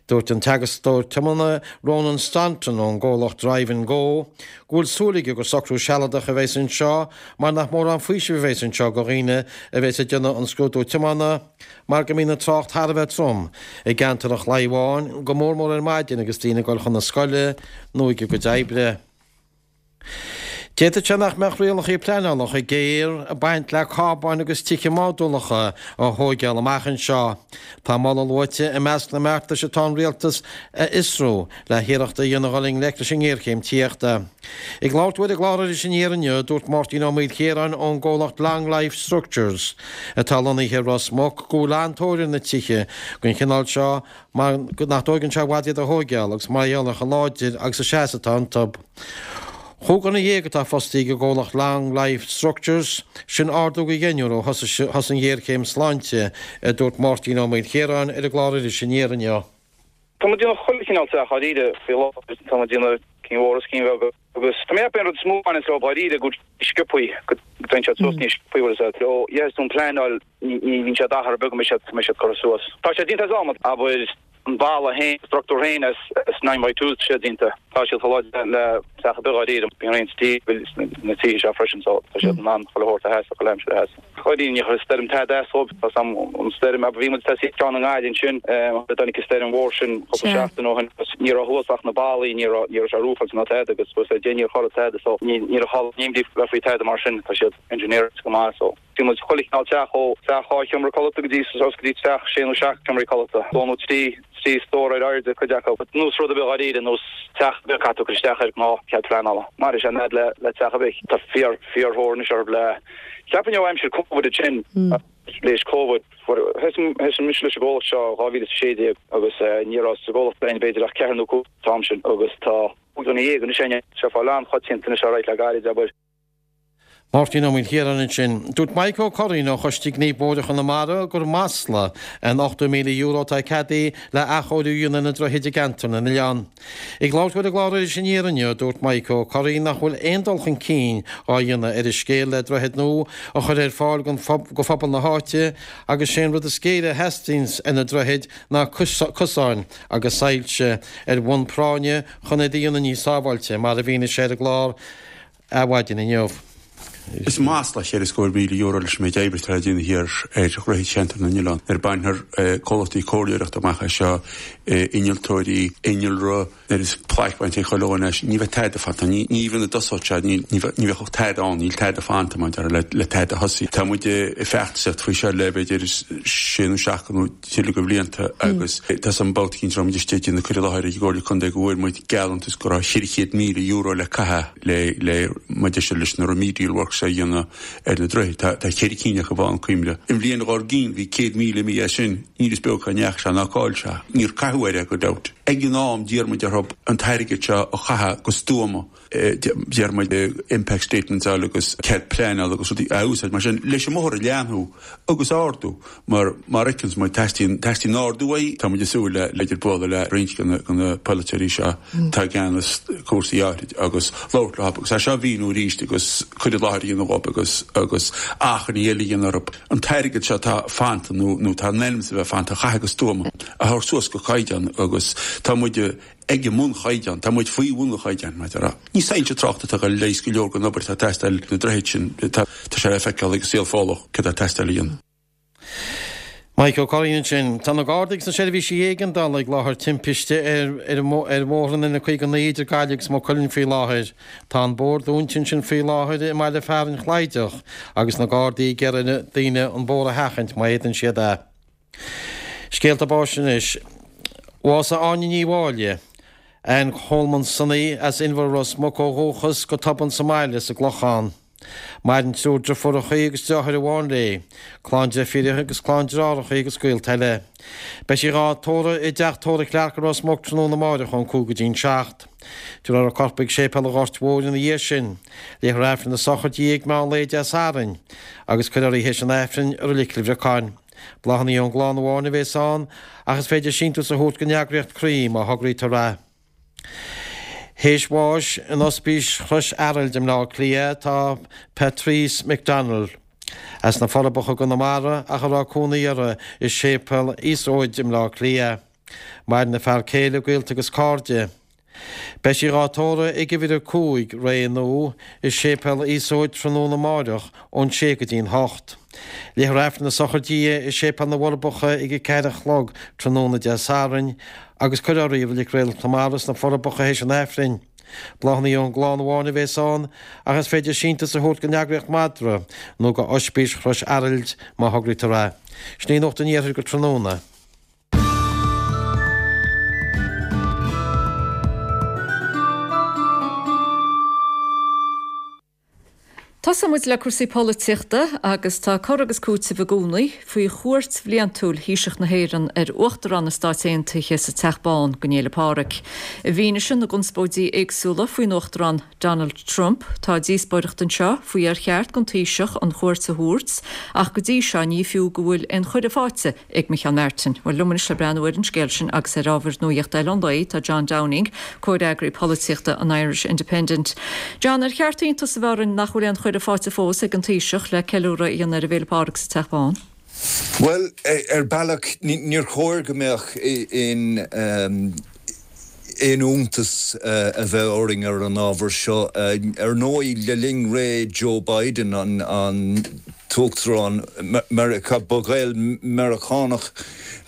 Dúirt an teagascóir tiomána Ronan Staunton ón gcomhlacht Drive and Go go bhfuil súil aige gur socrú sealadach a bheas anseo mar nach mórán faoisimh a bheas anseo do dhaoine a bheas ag déanamh an scrúdú tiomána mar go mbíonn an trácht thar a bheith trom i gceantar an Chlaí Bháin, go mór mór ar maidin agus daoine ag dul chun na scoile nó ag a gcuid oibre. D'fhéadfadh sé nach mbeadh rialacha pleanála chomh géar ag baint le cábáin agus tithe modúlacha a thóigeáil amach anseo. Tá moladh luaite i measc na mbeartais atá an Rialtas a fhiosrú le hiarracht a dhéanamh dhul i ngleic leis an ngéarchéim tithíochta. Ag labhairt dó ar an gclár Iris Aniar inniu, dúirt Máirtín Ó Maoilchiaráin ón gcomhlacht Long Life Structures, atá lonnaithe i Ros Muc, go bhfuil an-tóir ar na tithe den chineál seo mar nach dtóigeann sé i bhfad iad a thóigeáil agus mar gheall ar chomh láidir agus a seas atá iontu. 15 dhuine atá fostaithe ag an gcomhlacht Long Life Structures, sin ardú de dheichniúr ó thosaigh an ghéarchéim sláinte, a dúirt Máirtín Ó Maoilchiaráin ar an gclár Iris Aniar inniu. Tá muid ag déanamh chuile chineál teach dháiríre faoi láthair, tá muid ag déanamh cinn mhóra is cinn bheaga agus tá mé ag ceapadh an rud is mó a bhaineanns leo dháiríre go sciobthaí, go dtéann siad suas níos sciobthaí bhfuil fhios a'd. Ó dhéanfas tú an pleanáil ní bhíonn sé d'achar beag go mbeidh siad, go mbeidh siad curtha suas. Tá sé déanta as adhmad, abair an balla féin, an structúr féin as nine by twos tá sé déanta. Tá siad chomh láidir le teach ar bith dháiríre. Bíonn roinnt steel sna tithe seo freisin so tá siad in ann chuile shórt a sheasamh, chuile aimsir a sheasamh. Dáiríre ní chuirfidh stoirm tada as dóibh. Tá sam an stoirm abair bhí muid ag tosaí ceann i nGaillimh ansin a dtáinig an stoirm mhór sin cúpla seachtain ó shin agus ní raibh thuas ach na ballaí ní raibh ní raibh sé roofáilte ná tada agus suas le deich níor tharla tada so ní ní raibh chall imní bheith faoi tada mar sin tá siad engineered go maith so bhí muid chuile chineál teach ó teach 2 sheomra codlata go dtí suas go dtí teach sé nó seacht seomraí codlata dó nó 3 3 stór ar airde cuid acu. Nós rud ar bith dháiríre, nós teach ar bith caithfidh tú cur isteach ar ghnáth cead pleanála. Mar is é an fhadhb le le teach ar bith. Tá fíor fíorthóir anois orthu le cheapfainn ó aimsir Covid ansin léis Covid fuair thosaigh mise leis an gcomhlacht seo 2016 agus ní raibh sa gcomhlacht againn b'fhéidir ach ceathrar nó cúig an t-am sin agus tá 15 anois againn. Tá sé fáil an-choitianta anois alright le gairid abair. Máirtín Ó Maoilchiaráin ansin. Dúirt Maidhc Ó Curraoin ó Choiste Gnímh Bóithre Chonamara gur masla an €80,000 atá ceadaithe le athchóiriú a dhéanamh ar na droichid i gceantar na n-oileán. Ag labhairt dó ar an gclár Iris Aniar inniu, dúirt Maidhc Ó Curraoin nach bhfuil aon dul chun cinn á dhéanamh ar an scéal le droichead nua a chur ar fáil go phobal na háite agus sé an rud is géire a theastaíonns ar na droichid ná cosáin agus soilse ar bhonn práinne chun iad a dhéanamh níos sábháilte, mar a mhínigh sé ar an gclár. Adhmhaidin inniu. Is masla €4,000 leis an méid oibre atá le déanamh thiar ar dhroichid Cheantar na nOileán. Nuair a bainfear comhlachtaí comhairleoireachta amach as seo, innealtóirí, innealra, nuair is plaic bainte ag chuile dhuine as, ní bheidh tada fanta. Ní even a dtosódh sé, ní bheadh ach tada ann, níl tada fanta mar a déarfá le tada a thosaí. Tá muid ag feachtasaíocht faoi seo le b'fhéidir sé nó seacht nó tuilleadh de bhlianta agus tá san babhta eicínt a raibh muid istigh ag déanamh cur i láthair ag an gComhairle Contae go bhfuair muid gealltantas go raibh €400,000 le caitheamh le le mar a deir leis na remedial works a dhéanamh ar na droichid. Tá tá cheithre cinn acu i bhFál Cuimle. An bhliain dhár gcionn bhí 100,000 imithe as sin, níl fhios beo cá ndeachaigh sé ná cá bhfuil sé. Níor caitheadh air é gan dabht. Ag an am d'iarr muid orthu an t-airgead seo a chaitheamh go stuama. D'iarr muid impact statements a fháil agus cead pleanála agus rudaí a úsáid mar sin leis an mbóthar a leathnú agus a ardú mar mar a fheiceanns muid teastaíonn teastaíonn ardú uaidh. Tá muid ag súil le b'fhéidir bualadh le roinnt de na de na polaiteoirí seo atá i gceannas cúrsaí áithrid agus labhairt leo agus é seo a mhíniú arís agus cur i láthair a dhéanamh dhóibh agus agus achainí eile a dhéanamh orthu an t-airgead seo atá fanta nó nó atá in ainm is a bheith fanta a chaitheamh go stuama a thabhairt suas go caighdeán agus tá muid ag an mbunchaighdeán. Tá muid faoi bhun an chaighdeáin, mar a déarfá. Ní soilse tráchta atá ag dul a leigheas go leor den obair atá ag teastáil na droichid sin. Tá sé le feiceáil ag an saol Fódlach céard atá ag teastáil a dhéanamh. Mike Ó Curraoin ansin. Tá na Gardaí agus na seirbhísí éigeandála ag láthair timpiste ar ar bhóthar an N59 idir Gaillimh agus Maigh Cuilinn faoi láthair. Tá an bóthar dúnta ansin faoi láthair i mbaile fearainn Chlaideach agus na Gardaí ag iarraidh ar daoine an bóthar a sheachaint má fhéadann siad é. Scéalta báis anois. Bhásaigh Áine Ní Mháille, Ann Cholman Sonaí as Inbhear Ros Muc ó dhúchas, go tobann sa mbaile sa gClochán. Maireann triúr driofúrachaí agus deartháir amháin léi, clann deirfíreacha agus clann deartháireachaí agus gaolta eile. Beidh sí dhá tórramh i dteach tórraimh Clarke i Ros Muc tráthnóna amáireach ón 5 go dtí'n 7. Tabharfar a corp ag Séipéal an Ghoirt Mhóir ina dhiaidh sin. Léifear Aifreann na sochraide di ag meán lae Dé Sathairn agus cuirfear í théis an Aifrinn i Reilig Chill Bhriocáin. Bláthanna ón gclann amháin a bhéas ann ach is féidir síntiús a thabhairt don eagraíocht Croí má thograítear é. Théis bháis in Ospís Chrois Araild i mBleá Cliath tá Patrice McDonnell, as na Forbacha i gConamara ach a raibh cónaí uirthi i Séipéal Íosóid i mBleá Cliath. Maireann a fear céile, gaolta agus cairde. Beidh sí dhá tórramh ag uimhir 5, Rae Nua, i Séipéal Íosóid tráthnóna amáireach ón sé go dtí'n hocht. Léifear Aifreann na sochraide di i Séipéal na bhForbacha ag a ceathair a chlog tráthnóna Dé Sathairn agus cuirfear í i Reilig Réalt na Mara sna Forbacha théis an Aifrinn. Bláthanna ón gclann amháin a bhéas ann ach is féidir síntiús a thabhairt don eagraíocht Madra nó go Ospís Chrois Araild má thograítear é. Sin í Nuacht an Iarthair go tráthnóna. Tosóidh muid le cúrsaí polaitíochta agus tá cur agus cúiteamh i gcónaí faoi chuairt bhliantúil Thaoiseach na hÉireann ar Uachtarán na Stáit Aontaithe sa Teach Bán don Fhéile Pádraig. I bhfianaise na gconspóidí éagsúla faoin Uachtarán Donald Trump, tá díospóireacht anseo faoi ar cheart don Taoiseach an chuairt a thabhairt ach go dtí seo ní fiú go bhfuil aon chuireadh faighte ag Micheál Martin. Bhuel, liom anois le breathnú ar an scéal sin agus ar ábhair nuaíochta eile an lae, tá John Downing, comhfhreagraí polaitíochta an Irish Independent. John, ar cheart iontas a bheith orainn nach bhfuil aon chuireadh faighte fós ag an Taoiseach le ceiliúradh a dhéanamh ar an bhFéile Pádraig sa Teach Bán? Bhuel, ar bealach, níor chóir go mbeadh aon aon iontas a bheith orainn ar an ábhar seo. Ar ndóigh, le linn ré Joe Biden, an tUachtarán Meiriceá, ba Ghael-Meiriceánach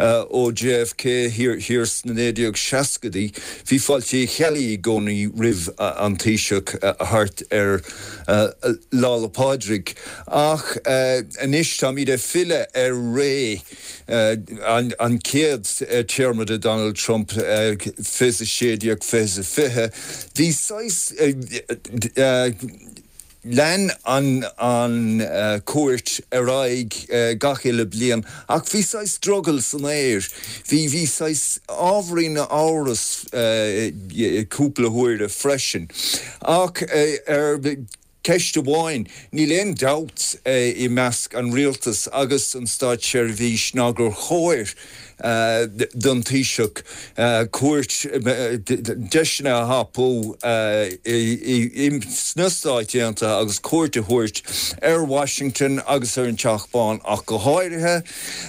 ó JFK thiar sna 1960idí, bhí fáilte Uí Cheallaigh i gcónaí roimh an Taoiseach thart ar Lá 'le Pádraig. Ach anois táimid ag filleadh ar ré an chéad téarma de Donald Trump, 2016, 2020, bhí saghas, lean an chuairt ar aghaidh gach uile bliain ach bhí saghas drogall san aer, bhí, bhí saghas ábhairín amhras cúpla huaire freisin. Ach ar. Ceist amháin, níl aon dabht i measc an rialtais agus an státseirbhís ná gur chóir don Taoiseach cuairt, deiseanna a thapú sna Stáit Aontaithe agus cuairt a thabhairt ar Washington agus ar an Teach Bán ach go háirithe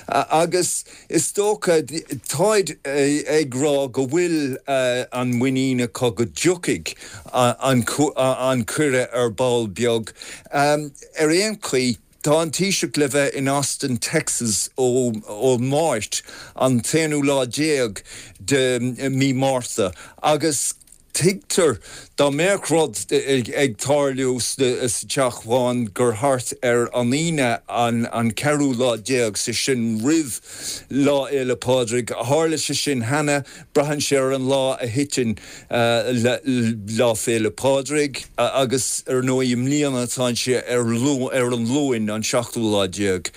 agus Is dócha, táid ag rá go bhfuil an muinín acu go dtiocfaidh an cuireadh ar ball beag. Ar aon chaoi, tá an Taoiseach le bheith in Austin, Texas ón Máirt, an t-aonú lá déag de mí Márta agus Tuigtear dá mbeadh rud ag tarlú sa Teach Bán gur thart ar an Aoine an ceathrú lá déag, sé sin roimh Lá Fhéile Pádraig. Tharla sé sin cheana, braitheann sé ar an lá a thiteann Lá Féile Pádraig agus ar ndóigh i mbliana tá sé ar an Luan an seachtú lá déag.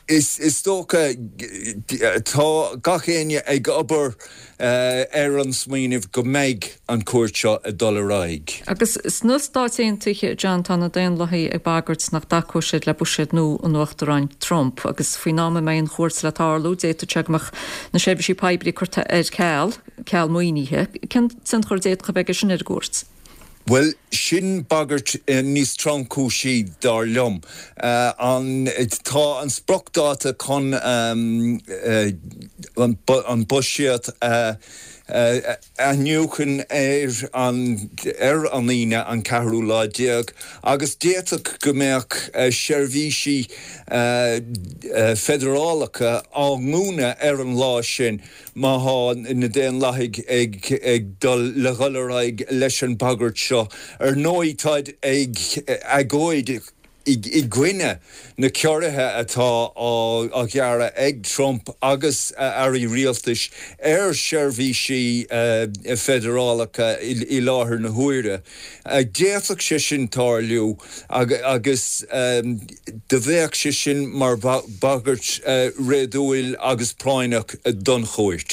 Is dócha, tá gach éinne ag obair ar an smaoineamh go mbeidh an chuairt seo ag dul ar aghaidh. Agus sna Stáit Aontaithe, John, tá na Daonlathaigh ag bagairt nach dtacóidh siad le buiséad nua an Uachtaráin Trump agus faoin am a mbeidh an chuairt le tarlú, d'fhéadfadh sé go mbeadh na seirbhísí poiblí curtha ar ceal, ceal maoinithe. Cén tionchar a d'fhéadfadh a bheith aige sin ar an gcuairt? Bhuel, sin bagairt níos tromchúisí, dar liom. An, tá an spriocdháta chun an buiséad a athnuachan ar an ar an Aoine an ceathrú lá déag agus d'fhéadfadh go mbeadh seirbhísí feidearálacha á ndúnadh ar an lá sin. Má thá na Daonlathaigh ag dul le dhul ar aghaidh leis an bagairt seo, ar ndóigh táid ag agóid. i gcoinne na ciorruithe atá á ghearradh ag Trump agus a airí rialtais ar sheirbhísí feidearálacha i láthair na huaire. D'fhéadfadh sé sin tarlú agus do bheadh sé sin mar bhagairt réadúil agus práinneach don chúirt.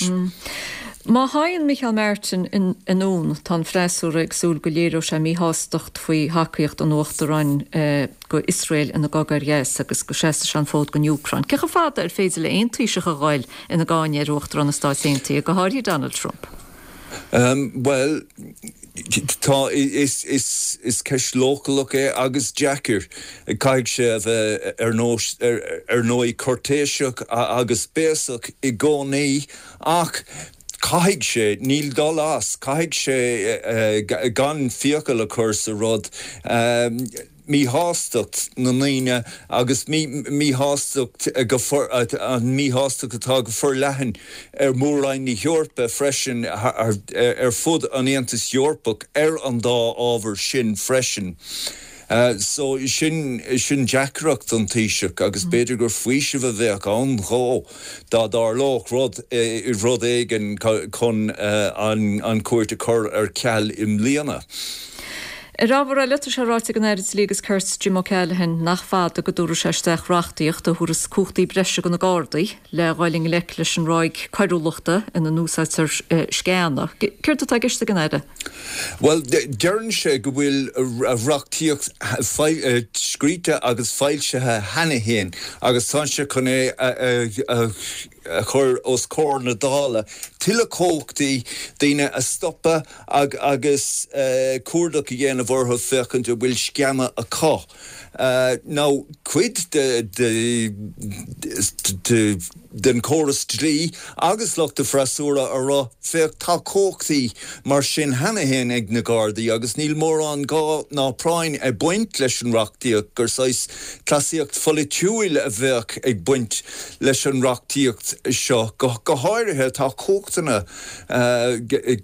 Má théann Micheál Martin anonn, tá an freasúra ag súil go léireoidh sé míshástacht faoi thacaíocht an Uachtaráin go Iosrael ina gcogadh ar Ghaza agus go seasfaidh sé an fód don Úcráin. Cé chomh fada ar féidir le aon Taoiseach a ghoil ina gcáineadh ar Uachtarán na Stáit Aontaithe, go háirithe Donald Trump? Bhuel, tá, is, is, is ceist leochaileach é agus deacair. Caithfidh sé a bheith ar nós, ar ndóigh, cúirtéiseach agus béasach i gcónaí ach caithfidh sé, níl dul as, caithfidh sé gan fiacail a chur sa rud. míshástacht na ndaoine agus míshástacht go an míshástacht atá go forleathan ar Mhór-Roinn na hEorpa freisin, ar fud an Aontais Eorpaigh ar an dá ábhar sin freisin. So sin sin deacracht don Taoiseach agus b'fhéidir gur faoiseamh a bheadh ann dhó dá dtarlódh rud rud éigin chun an chuairt a chur ar ceal i mbliana. Ar ábhar eile, tá sé ráite ag an Aire Dlí agus Cirt Jim O'Callaghan nach fada go dtabharfaidh sé isteach reachtaíocht a thabharfas cumhachtaí breise do na Gardaí le dhul i ngleic leis an ráig coiriúlachta ina n-úsáidtear sceana. Céard atá i gceist ag an Aire? Bhuel, deireann sé go bhfuil reachtaíocht scríte agus foilsithe cheana féin agus tá sé chun é a a chur os comhair na Dála, tuilleadh cumhachtaí daoine a stopadh agus cuardach a dhéanamh orthu féachaint an bhfuil sceana acu. Now, cuid den chóras dlí agus lucht an fhreasúra a rá, féach, tá cumhachtaí mar sin cheana féin ag na Gardaí agus níl mórán gá ná práinn ag baint leis an reachtaíocht, gur saghas cleasaíocht pholaitiúil a bheadh ag baint leis an reachtaíocht seo. Go háirithe, tá cumhachtanna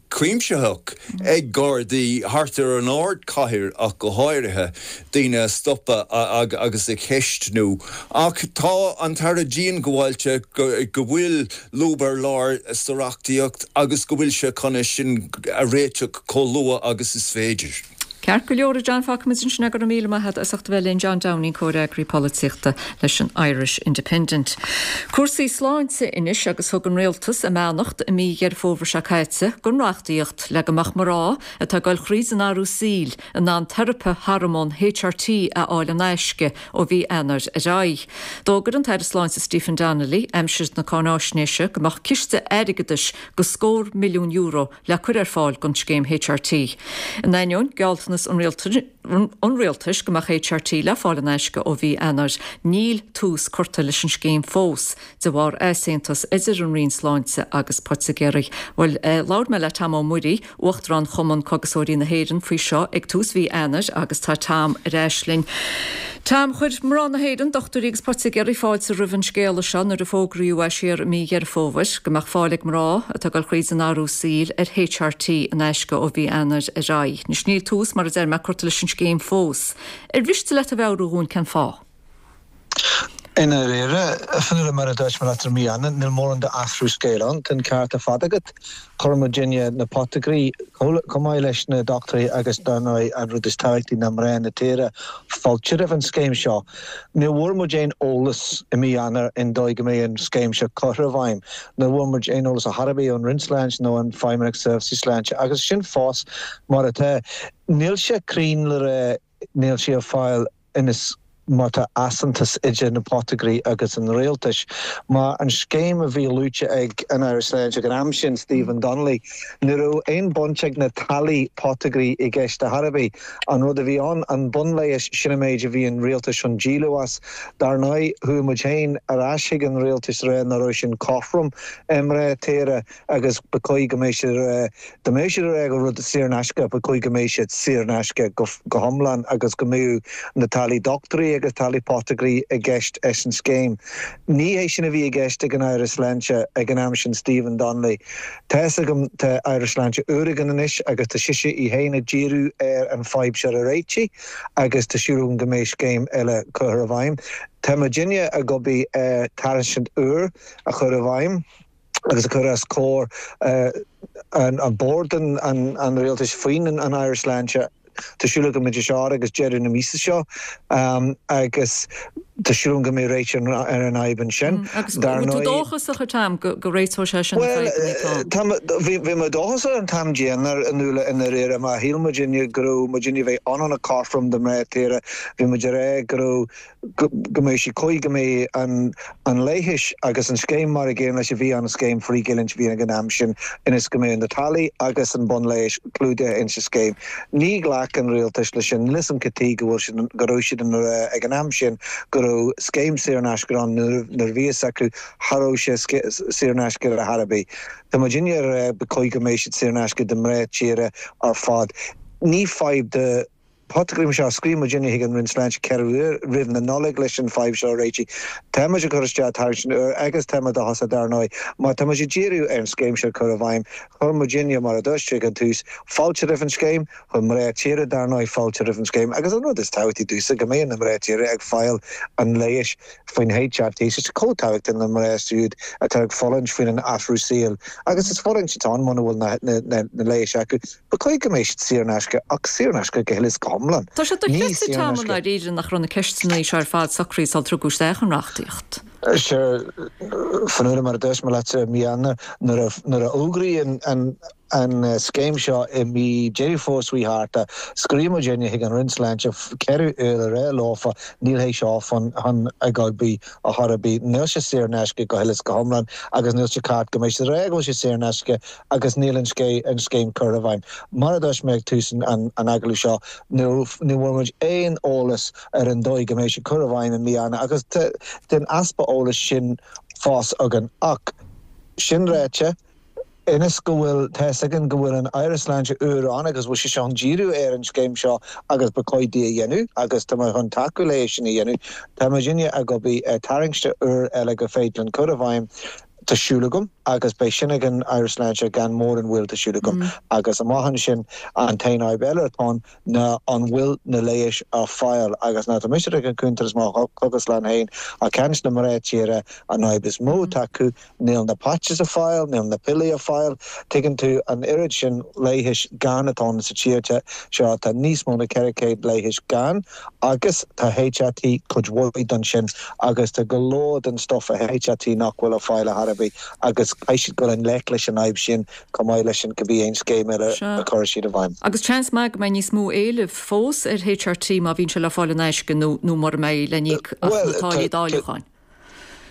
cuimsitheach ag Gardaí thart ar an ardchathair ach go háirithe, daoine a stopadh agus a cheistniú. Ach tá an tAire diongbháilte go bhfuil lúb ar lár sa reachtaíocht agus go bhfuil sé chun é sin a réiteach chomh luath agus is féidir. Ceart go leor, a John, fágfaimid ansin é, go raibh míle maith agat as ucht a bheith linn, John Downing, Comhfhreagraí Polaitíochta leis an Irish Independent. Cúrsaí sláinte anois agus thug an Rialtas a mbeannacht i mí Dheireadh Fómhair seo caite don reachtaíocht le go mbeadh mná atá ag dul thríd an athrú saoil in ann teiripe hormón HRT a fháil in aisce ó mhí Eanáir ar aghaidh. D'fhógair an tAire Sláinte Stephen Donnelly aimsir na cáináisnéise go mbeadh ciste airgeadais de scór milliún euro le cur ar fáil don scéim HRT. In ainneoin gealltanas an Rialtais go mbeadh HRT le fáil in aisce ó mhí Eanáir, níl tús curtha leis an scéim fós de bharr easaontas idir an Roinn Sláinte agus poitigéirí. Bhuel, labhair mé le Tom Ó Muirí, Uachtarán Chumann Cógaiseoirí na hÉireann faoi seo ag tús mhí Eanáir agus tá Tom ar ais linn. Tom, chuir mná na hÉireann, dochtúirí agus poitigéirí fáilte roimh an scéala seo nuair a fógraíodh é siar i mí Dheireadh Fómhair go mbeadh fáil ag mná atá ag dul thríd an athrú saoil ar HRT in aisce ó mhí Eanáir ar aghaidh. Anois níl tús, mar a deir mé, curtha leis an scéim fós. Ar mhiste leat a mheabhrú dhúinn cén fáth? I ndáiríre, a Fionnuala, mar a dúirt mé leat i mí Eanáir, níl mórán d'athrú scéil ann. Tá an ceart ar fad agat. Chuir muidinne, na poitigéirí, chomh maith leis na dochtúirí agus, dar ndóigh, an rud is tábhachtaí ná mná na tíre, fáilte roimh an scéim seo. Ní bhfuair muid aon eolas i mí Eanáir an dóigh go mbeidh an scéim seo curtha i bhfeidhm. Ní bhfuair muid aon eolas ar chor ar bith ón Roinn Sláinte nó an Feidhmeannacht Seirbhísí Sláinte agus sin fós mar atá. Níl sé cruinn le rá níl sé ar fáil anois mar tá easaontas idir na poitigéirí agus an rialtais. Mar an scéim a bhí luaite ag an Aire Sláinte ag an am sin, Stephen Donnelly, ní raibh aon baint ag na táillí poitigéirí i gceist ar chor ar bith. An rud a bhí ann, an bunleigheas, sin an méid a bhí an rialtas chun díol as. Dar ndóigh, chuaigh muid féin ar ais chuig an rialtas a rá nach raibh sin cothrom i mná tíre agus ba chóir go mbeadh siad a rá Dá mbeadh siad ag rá go rud saor in aisce, ba chóir go mbeadh siad saor in aisce go hiomlán agus go mbeadh na táillí dochtúirí. agus táillí poitigéirí i gceist leis an scéim. Ní hé sin a bhí i gceist ag an Aire Sláinte ag an am sin, Stephen Donnelly. Tá fhios agam tá Aire Sláinte úr againn anois agus tá sise í féin ag díriú ar an fadhb seo a réitigh agus tá siúl agam go mbeidh scéim eile curtha i bhfeidhm. Tá muidinne ag obair ar tairiscint úr a chur i bhfeidhm agus a chur os comhair an bord an rialtais faoin an Aire Sláinte. Tá siúl agam idir seo agus deireadh na míosa seo agus tá siúl agam go mbeidh réiteach ar an fhadhb ansin. Agus an bhfuil tú dóchasach, a Tom, go réiteoidh sé sin na fadhbanna atá ann? Bhuel, bhí mé dóchasach an t-am déanach i nDúla i ndáiríre mar shíl muidinne go raibh muidinne a bheith ionann a cothrom do mná tíre. Bhí muid ag rá go raibh go mbeadh sé cóir go mbeadh an leighis agus an scéim mar a gcéanna leis a bhí ann, an scéim frithghiniúint a bhí ag an am sin, ionas go mbeadh na táillí agus an bunleigheas clúdaithe ins an scéim. Ní ghlac an rialtas leis sin. Níl 'fhios a'm cad tuige go bhfuil siad, go raibh siad ina rá ag an am sin go raibh scéim saor in aisce ann nuair a bhí fhios acu cha raibh sé saor in aisce ar chor ar bith. Tá muidinne ag rá ba chóir go mbeadh siad saor in aisce do mná tíre ar fad. Ní fadhb do. Poitigéirí mar seo, scríobh muidinne chuig an Roinn Sláinte 4 uair roimh na Nollag leis an fadhb seo a réitigh. Tá muid ag cur isteach tairiscint úr agus tá muid dóchasach dar ndóigh. Má tá muid ag díriú ar an scéim seo a chur i bhfeidhm, chuir muidinne, mar a dúirt ag an tús, fáilte roimh an scéim, chuir mná tíre dar ndóigh fáilte roimh an scéim agus an rud is tábhachtaí domhsa go mbeidh na mná tíre ag fáil an leighis faoin HRT. Tá sé chomh tábhachtach na mná siúd atá ag fulaingt faoin an athrú saoil agus is fulaingt atá ann muna bhfuil na leighis acu. Ba chóir go mbeadh siad saor in aisce, ach saor in aisce go huile is go hiomlán. Tá sé dochreidte, Tom, i ndáiríre nach raibh na ceisteanna seo ar fad socraithe sular tugadh isteach an reachtaíocht. Sure, Fionnuala, mar a dúirt mé leat i mí Eanáir, nuair a nuair a fhógraíodh an an scéim seo i mí Deireadh Fómhair seo chuaigh thart, scríobh muidinne chuig an Roinn Sláinte 4 uair a rá leofa níl é seo chun ag obair ar chor ar bith. Níl sé saor in aisce go huile is go hiomlán agus níl sé ceart go mbeidh siad ag rá go bhfuil sé saor in aisce agus níl an scéim curtha i bhfeidhm. Mar a dúirt mé ag tús an agallaimh seo, ní bhfuair muid aon eolas ar an dóigh go mbeidh sé curtha i bhfeidhm i mí Eanáir agus tá an easpa eolais sin fós againn. Ach sin ráite, ionas go bhfuil, tá 'fhios againn go bhfuil an Aire Sláinte úr ann agus bhfuil sise chun díriú ar an scéim seo agus ba chóir di a dhéanamh agus tá mé chun tacú léi sin a dhéanamh. Tá muidinne ag obair ar tairiscint úr eile gur féidir linn cur i bhfeidhm. Tá siúl agam agus beidh sin ag an Aire Sláinte gan mórán mhoill tá siúl agam. Agus amach ansin an t-aon fhadhb eile atá ann ná an bhfuil na leighis ar fáil agus ná tá mise ag an cuntas mo chógaslann féin ag caint le mná tíre an fhadhb is mó atá acu Níl na patches ar fáil, níl na piollaí ar fáil. Tuigeann tú, an oiread sin leighis gann atá ann sa tír seo, tá níos mó na 400 leighis gann agus tá HRT cuid mhaith den sin agus tá go leor den stuff i HRT nach bhfuil ar fáil ar chor ar bith agus caithfidh siad dul i ngleic leis an fhadhb sin chomh maith leis an cibé aon scéim eile a chuirfidh siad i bhfeidhm. Agus seans maith go mbeidh níos mó éilimh fós ar HRT má bhíonn sé le fáil in aisce nó nó mura mbeidh le n-íoc ach na táillí dáiliúcháin.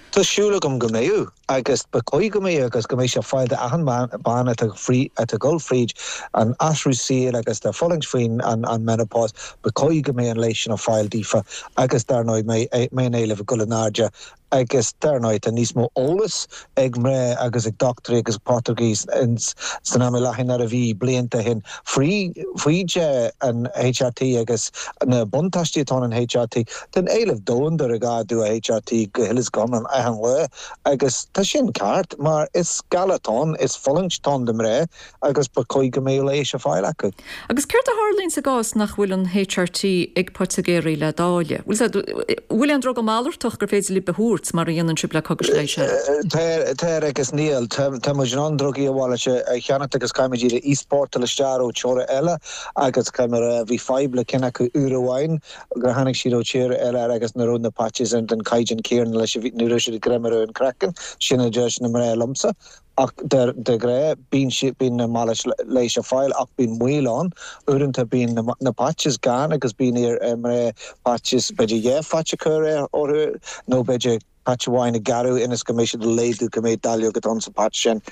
Tá siúl agam go mbeidh, agus ba chóir go mbeidh, agus go mbeidh sé ar fáil d'achan bean atá atá ag dul fríd an athrú saoil agus atá ag fulaingt faoin an menopause, ba chóir go mbeidh an leigheas sin ar fáil daofa agus dar ndóigh mbeidh an éileamh ag dul in airde agus dar ndóigh tá níos mó eolas ag mná agus ag dochtúirí agus poitigéirí san am i láthair ná a bhí blianta ó shin faoi faoi an HRT agus na buntáistí atá in an HRT. Tá an éileamh domhanda ar ag ardú a HRT go huile is go hiomlán achan lá agus tá sin ceart mar is galar atá ann, is fulaingt atá ann do mhná agus ba chóir go mbeadh leigheas ar fáil acu. Agus céard a tharlaíonn sa gcás nach bhfuil an HRT ag poitigéirí le dáileadh? Bhfuil aon druga malartach gur féidir libh a thabhairt mar a dhéanann sibh le cogais leighis eile? Tá agus níl. Tá muid in ann drugaí a mhalairt a cheannacht agus caithfimid iad a easpórtáil isteach ó tíortha eile agus caithfidh mé a rá bhí fadhb le ceann acu uair amháin gur tháinig siad ó tír eile agus ní raibh na patches den caighdeán céanna leis a bhí, ní raibh siad ag greim ar an craiceann, sin a deir na mná liomsa. Ach de ghnáth bíonn siad, bíonn na malairt leighis ar fáil ach bíonn moill ann. Uaireanta bíonn na patches gann agus bíonn ar mná patches, b'fhéidir dhá phatch a chur orthu nó b'fhéidir patch amháin a ghearradh ionas go mbeidh siad ag laghdú cé mhéad dáileog atá sa patch sin.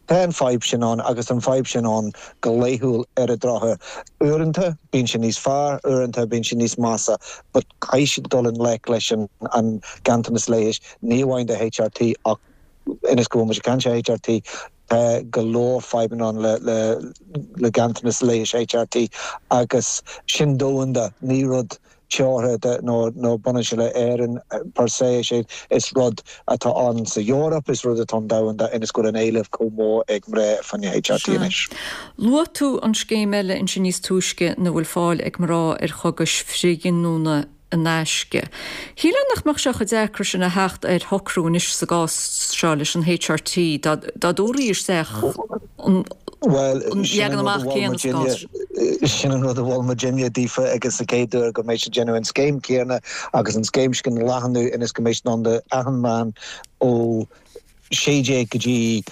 Tá an fadhb sin ann agus tá an fadhb sin ann go laethúil ar an drochuair. Uaireanta bíonn sé níos fearr, uaireanta bíonn sé níos measa but caithfidh siad dul i ngleic leis an ganntanas leighis, ní amháin do HRT ach ionas go bhfuil muid ag caint ar HRT, tá go leor fadhbanna ann le ganntanas leighis HRT agus sin domhanda, ní rud. teoranta nó nó baineann sé le Éirinn per se, is é is rud atá ann sa Eoraip, is rud atá ann domhanda ionas go bhfuil an éileamh chomh mór ag mná fá choinne HRT Sea. anois. Luaigh tú an scéim eile ansin níos túisce ina bhfuil fáil ag mná ar chogais frithghiniúna in aisce. Shílfeá nach mbeadh sé chomh deacair sin a theacht ar shocrú anois sa gcás seo leis an HRT dá dtabharfaí isteach an leagan amach céanna sa gcás seo. Sin an rud a mhol muidinne daofa agus sa chéad uair go mbeidh siad déanamh an scéim céanna agus an scéim sin a leathnú ionas go mbeidh siad in ann do achan mbean ó 16 go dtí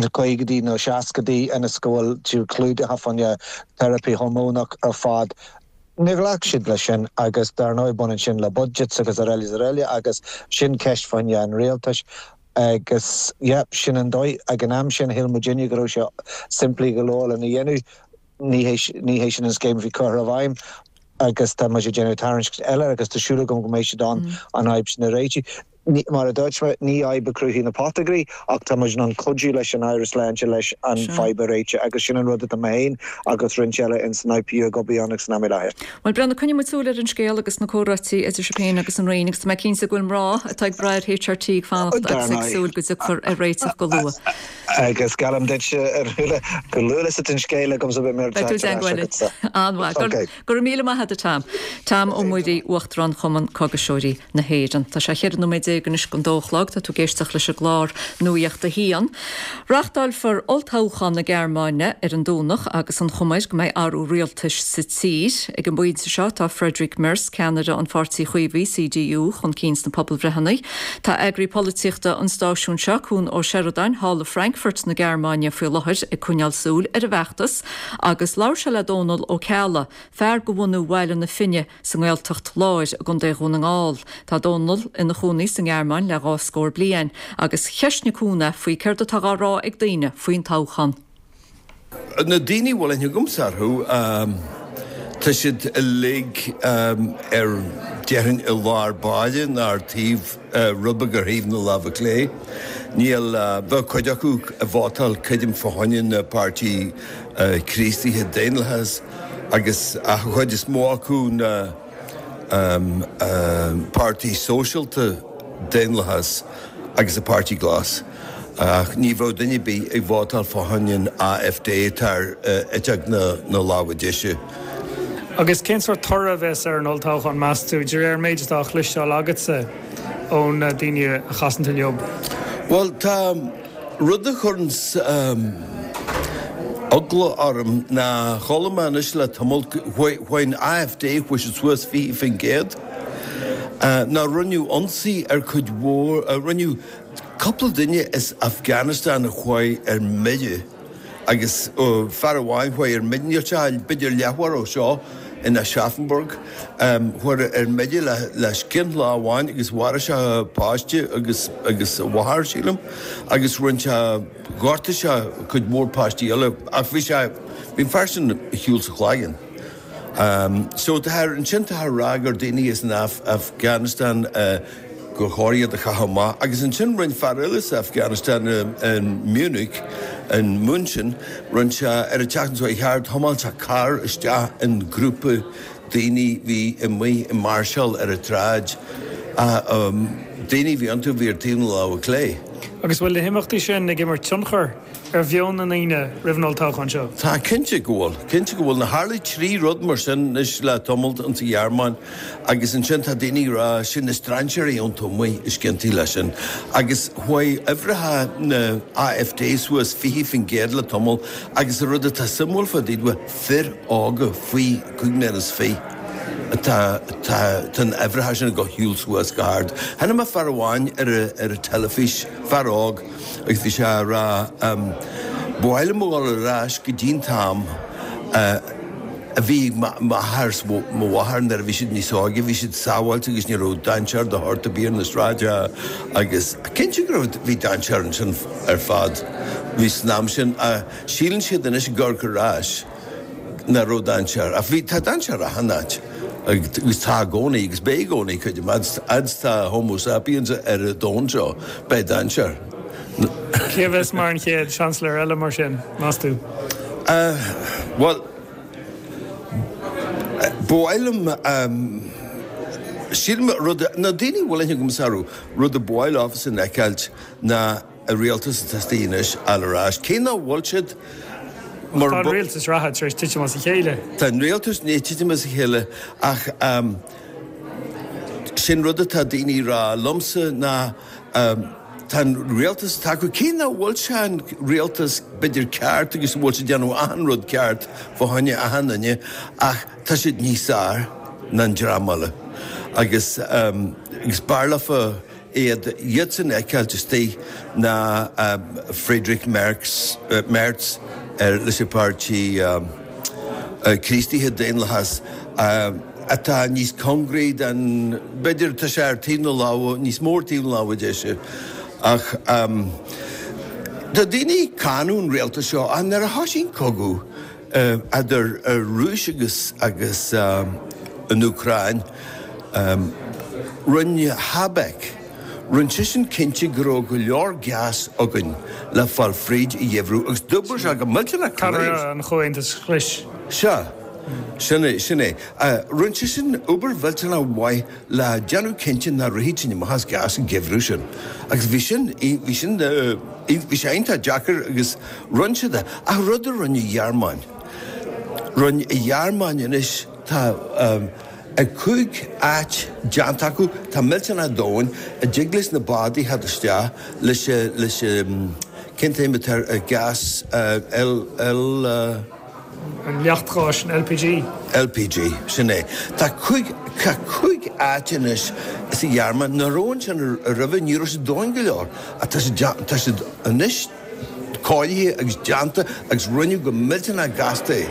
na caogaidí nó seascaidí ionas go bhfuil siad clúdaithe fá choinne teiripí hormónach ar fad. Níor ghlac siad leis sin agus dar ndóigh baineann sin le budgets agus araile is araile agus sin ceist fá choinne an rialtais agus yeah sin an dóigh. Ag an am sin shíl muidinne go raibh sé simplí go leor lena dhéanamh. Ní hé ní hé sin an scéim a bhí curtha i bhfeidhm agus tá muid ag déanamh tairiscint eile agus tá súil agam go mbeidh siad in ann an fhadhb sin a réiteach. Mar a dúirt mé, ní fadhb a chruthaigh na potagairí ach tá muid in ann cuidiú leis an Aire Sláinte leis an fadhb a réiteach agus sin an rud atá mé féin agus roinnt eile ins an IPU ag obair ann ag san am i láthair. Bhuel, Breandán, coinneoidh muid súil ar an scéal agus na comhráití idir sibh féin agus an Roinn agus tá mé cinnte go bhfuil mná atá ag brath ar HRT ag fanacht agus ag súil go dtiocfar ar réiteach go luath. Agus geallaim duitse, a Nuala, chomh luath is atá an scéal agamsa beidh mé ar Beidh tú i dteagmháil linn. An-mhaith. Ok. Go raibh míle maith agat, a Tom. Tom Ó Muirí, Uachtarán Chumann Cógaiseoirí na hÉireann. Tá sé cheithre nóiméad déag anois don dó a chlog. Tá tú ag éisteacht leis an gclár Nuacht a hAon. Reáchtálfar olltoghchán na Gearmáine ar an Domhnach agus an chuma air go mbeidh athrú rialtais sa tír. Ag an bpointe seo tá Friedrich Merz, ceannaire an pháirtí Chaomhaigh, CDU, chun cinn sna pobalbhreitheanna. Tá eagraí polaitíochta an stáisiúin seo, Cuan Ó Seireadáin, thall i Frankfurt na Gearmáine faoi láthair ag coinneáil súil ar an bhfeachtas. Agus labhair sé le Dónal Ó Ceallaigh, fear de bhunú Bhaile na Finne sa nGaeltacht Láir i gContae Dhún na nGall. Tá Dónal ina chónaí sa nGearmáin le dhá scór bliain, agus cheistnigh Cuan é faoi céard atá dhá rá ag daoine faoin toghchán. Na daoine a bhfuil aithne agamsa orthu, tá siad uilig ar, déarfainn, i lár báire nó ar taobh, rud beag ar thaobh na láimhe clé. Níl, bheadh cuid acu ag vótáil creidim fá choinne na páirtí Críostaithe Daonlathas agus ach an chuid is mó acu na páirtí Sóisialta Daonlathas agus an Páirtí Glas. Ach ní bheadh duine ar bith ag vótáil fá choinne an AfD atá ar eite na láimhe deise. Agus cén sórt toradh a bheas ar an olltoghchán, meas tú, de réir an méid atá á chloisteáil agatsa ó na daoine a chasann tú leo? Bhuel, tá rud a chuireanns eagla orm ná chuala mé anois le tamall, chuaigh an AfD, chuaigh siad suas 20%, ná rinneadh ionsaí ar cuid mhór, rinneadh cúpla duine as Afghanistan a chuaigh ar mire, Agus fear amháin chuaigh ar mire, níl sé b'fhéidir leathuair ó seo in Aschaffenburg, chuaigh ar mire le scian lá amháin agus mharaigh sé páiste agus agus a mháthair, sílim, agus rinne sé, ghortaigh sé cuid mhór páistí eile ach bhí sé, bhí an fear sin ar shiúl sa chloigeann. So tá, ansin tá a rá gur daoine as an Afghanistan, gur chóir iad a chaitheamh amach. Agus ansin rinne fear eile as Afghanistan in Munich, in München, rinne sé, ar an tseachtain seo chuaigh thart, thiomáin sé carr isteach in grúpa daoine bhí amuigh ag máirseáil ar an tsráid. Daoine a bhí iontu a bhí ar taobh na láimhe clé. Agus bhfuil na himeachtaí sin ag imirt tionchar ar mheon na ndaoine roimh an olltoghchán seo? Tá, cinnte go bhfuil. Cinnte go bhfuil. Tharla trí rud mar sin anois le tamall insa Ghearmáin. Agus ansin tá daoine ag rá, sin na strainséirí iontu amuigh is ciontaí leis sin. Agus chuaigh uimhreacha na AfD suas 20% le tamall agus an rud atá suimiúil fá dtaobh de, fir óga faoi chúig mbliana is fiche atá, tá, tá na uimhreacha sin ag dul shiúl suas go hard. Chonaic mé fear amháin ar ar an teilifís, fear óg, agus bhí sé ag rá, ba mhaith liom a dhul ar ais go dtí an t-am a bhí ag m'athair 's mo mháthair nuair a bhí siad níos óige, bhí siad sábháilte agus ní raibh dainséar de shórt ar bith ar na sráideanna agus cinnte go raibh, bhí dainséar ansin ar fad, bhí san am sin, síleann siad anois ag amharc ar ais nach raibh dainséar ach bhí, tá dainséar achan áit agus tá i gcónaí agus beidh i gcónaí creidim, fhad is tá Homo sapiens ar an domhan seo beidh dainséar. Cé a bheas mar an chéad Seansailéir eile mar sin, meas tú? Bhuel. Ba mhaith liom, sílim, rud, na daoine a bhfuil aithne agamsa orthu, rud a ba mhaith leofasan a fheiceáilt ná an rialtas atá istigh anois a fháil ar ais. Cé nach bhfuil siad mar. Tá an rialtas reatha tar éis titim as a chéile. Tá an rialtas i ndiaidh titim as a chéile ach sin rud atá daoine ag rá liomsa ná tá an rialtas atá acu, cé nach bhfuil sé an rialtas b'fhéidir ceart agus go bhfuil siad ag déanamh achan rud ceart fá choinne achan duine ach tá siad níos fearr ná an dream eile agus agus b'fhearr leofa iad iadsan a fheiceáilt istigh ná Friedrich Merz, Merz leis an bpáirtí Críostaithe Daonlathas atá níos cóngaraí don, b'fhéidir, tá sé ar taobh na lámha, níos mó ar taobh na lámha deise. Ach tá daoine ag cáineadh an rialtas seo ach nuair a thoisigh an cogadh idir an Rúis agus agus an Úcráin, rinne Habeck, rinne seisean cinnte go raibh go leor gas againn le fáil fríd an gheimhreadh agus d'oibrigh sé go millteanach Ceannaire an Chomhaontais Ghlais. Sea, sin é, sin é. Rinne seisean obair mhillteanach mhaith le déanamh cinnte nach rithfeadh sinn amach as gas an geimhreadh sin. Agus bhí sin, bhí sin, bhí sé iontach deacair agus rinne siad é. Ach rud a rinne an Ghearmáin, rinne an Ghearmáin anois, tá 5 áit déanta acu, tá millteanach domhain, a dtig leis na bádaí theacht isteach leis, leis, cén t-ainm atá ar gas, L, L. An leacht gáis, an LPG. LPG, sin é. Tá cúig, tá cúig áit anois sa Ghearmáin, nach raibh ansin roimhe, ní raibh siad domhain go leor, ach tá siad, tá siad anois cóirithe agus déanta agus rinneadh go millteanach gasta é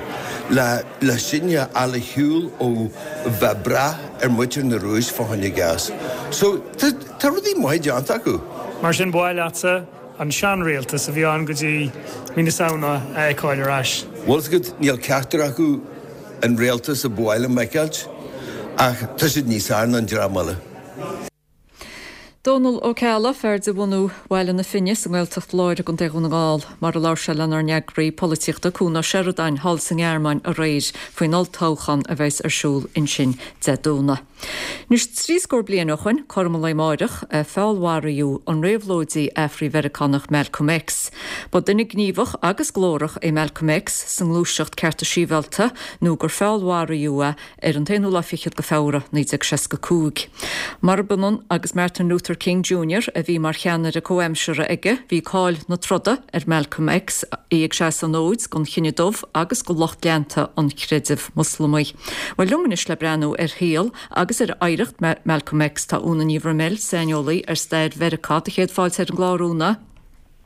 le, le sinne a fháil ar shiúl ó bheith ag brath ar mhuintir na Rúis fá choinne gas. So, tá, tá rudaí maithe déanta acu. Mar sin, ba mhaith leatsa an seanrialtas a bhí ann go dtí mí na Samhna a fheiceáil ar ais. Bhfuil 's agat, níl ceachtar acu an rialtas a ba mhaith liom a fheiceáilt, ach tá siad níos fearr ná an dream eile. Dónal Ó Ceallaigh, fear de bhunú Bhaile na Finne sa nGaeltacht Láir i gContae Dhún na nGall, mar a labhair sé lenár n-eagraí polaitíochta Cuan Ó Seireadáin thall sa nGearmáin aréir faoin olltoghchán a bheas ar siúl ansin Dé Domhnaigh. Anois, trí scór bliain ó shoin, cothrom an lae amáireach, a feallmharaíodh an réabhlóidí Afrai-Mheiriceánach Malcolm X. Ba duine gníomhach agus glórach é Malcolm X sa ngluaiseacht cearta sibhialta nó gur feallmharaíodh é ar an t-aonú lá fichead de Feabhra, 1965. Murab ionann agus Martin Luther King Junior, a bhí mar cheannaire comhaimseartha aige, bhí cáil na troda ar Malcolm X, é ag seasamh an fhóid don chine dubh agus do lucht leanta an chreidimh Moslamaigh. Bhuel, liom anois le breathnú ar shaol agus ar oidhreacht Malcolm X tá Úna Ní Bhroiméil, saineolaí ar stair Mheiriceá. Do chéad fáilte ar an gclár, Úna.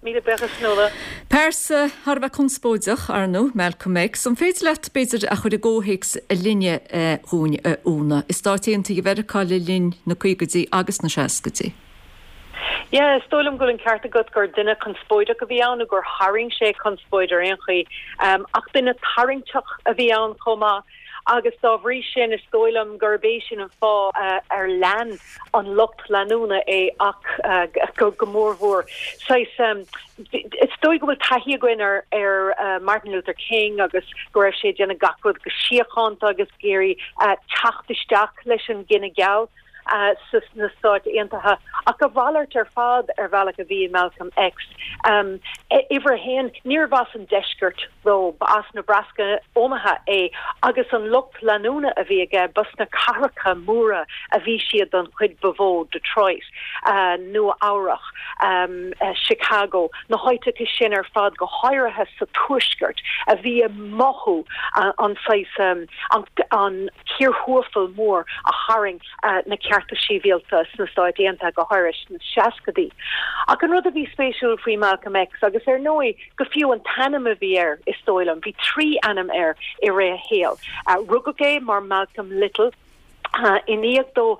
Míle buíochas, Nuala. Pearsa thar a bheith conspóideach, ar ndóigh, Malcolm X. An féidir leat, b'fhéidir, a chur i gcomhthéacs a linne dhúinn, a Úna, i Stáit Aontaithe Mheiriceá le linn na caogaidí agus na seascaidí? Yeah, is dóigh liom go bhfuil an ceart agat gur duine conspóideach a bhí ann, nó gur tharraing sé conspóid ar aon chaoi. Ach duine tarraingteach a bhí ann chomh maith agus dá bhrí sin is dóigh liom gurb é sin an fáth ar lean an lucht leanúna é ach go mórmhór. Saghas, is dóigh go bhfuil taithí againn ar ar Martin Luther King agus go raibh sé ag déanamh gach rud go síochánta agus ag iarraidh teacht isteach leis an gcine geal. sna Stáit Aontaithe, ach a mhalairt ar fad ar bhealach a bhí i Malcolm X. Uimhir a haon, níorbh as an deisceart dó, ba as Nebraska, Omaha é, agus an lucht leanúna a bhí aige, ba sna cathracha móra a bhí siad don chuid ba mhó, Detroit, Nua Eabhrach, Chicago, na háiteacha sin ar fad, go háirithe sa tuaisceart, a bhí ag mothú an saghas, an cíorthuathal mór a tharraing na cearta sibhialta sna Stáit Aontaithe, go háirithe sna seascaidí. Ach an rud a bhí spéisiúil faoi Malcolm X, agus ar ndóigh go fiú an t-ainm a bhí air, is dóigh liom, bhí trí ainm air i rith a shaoil. Rugadh é mar Malcolm Little. I ndiaidh dó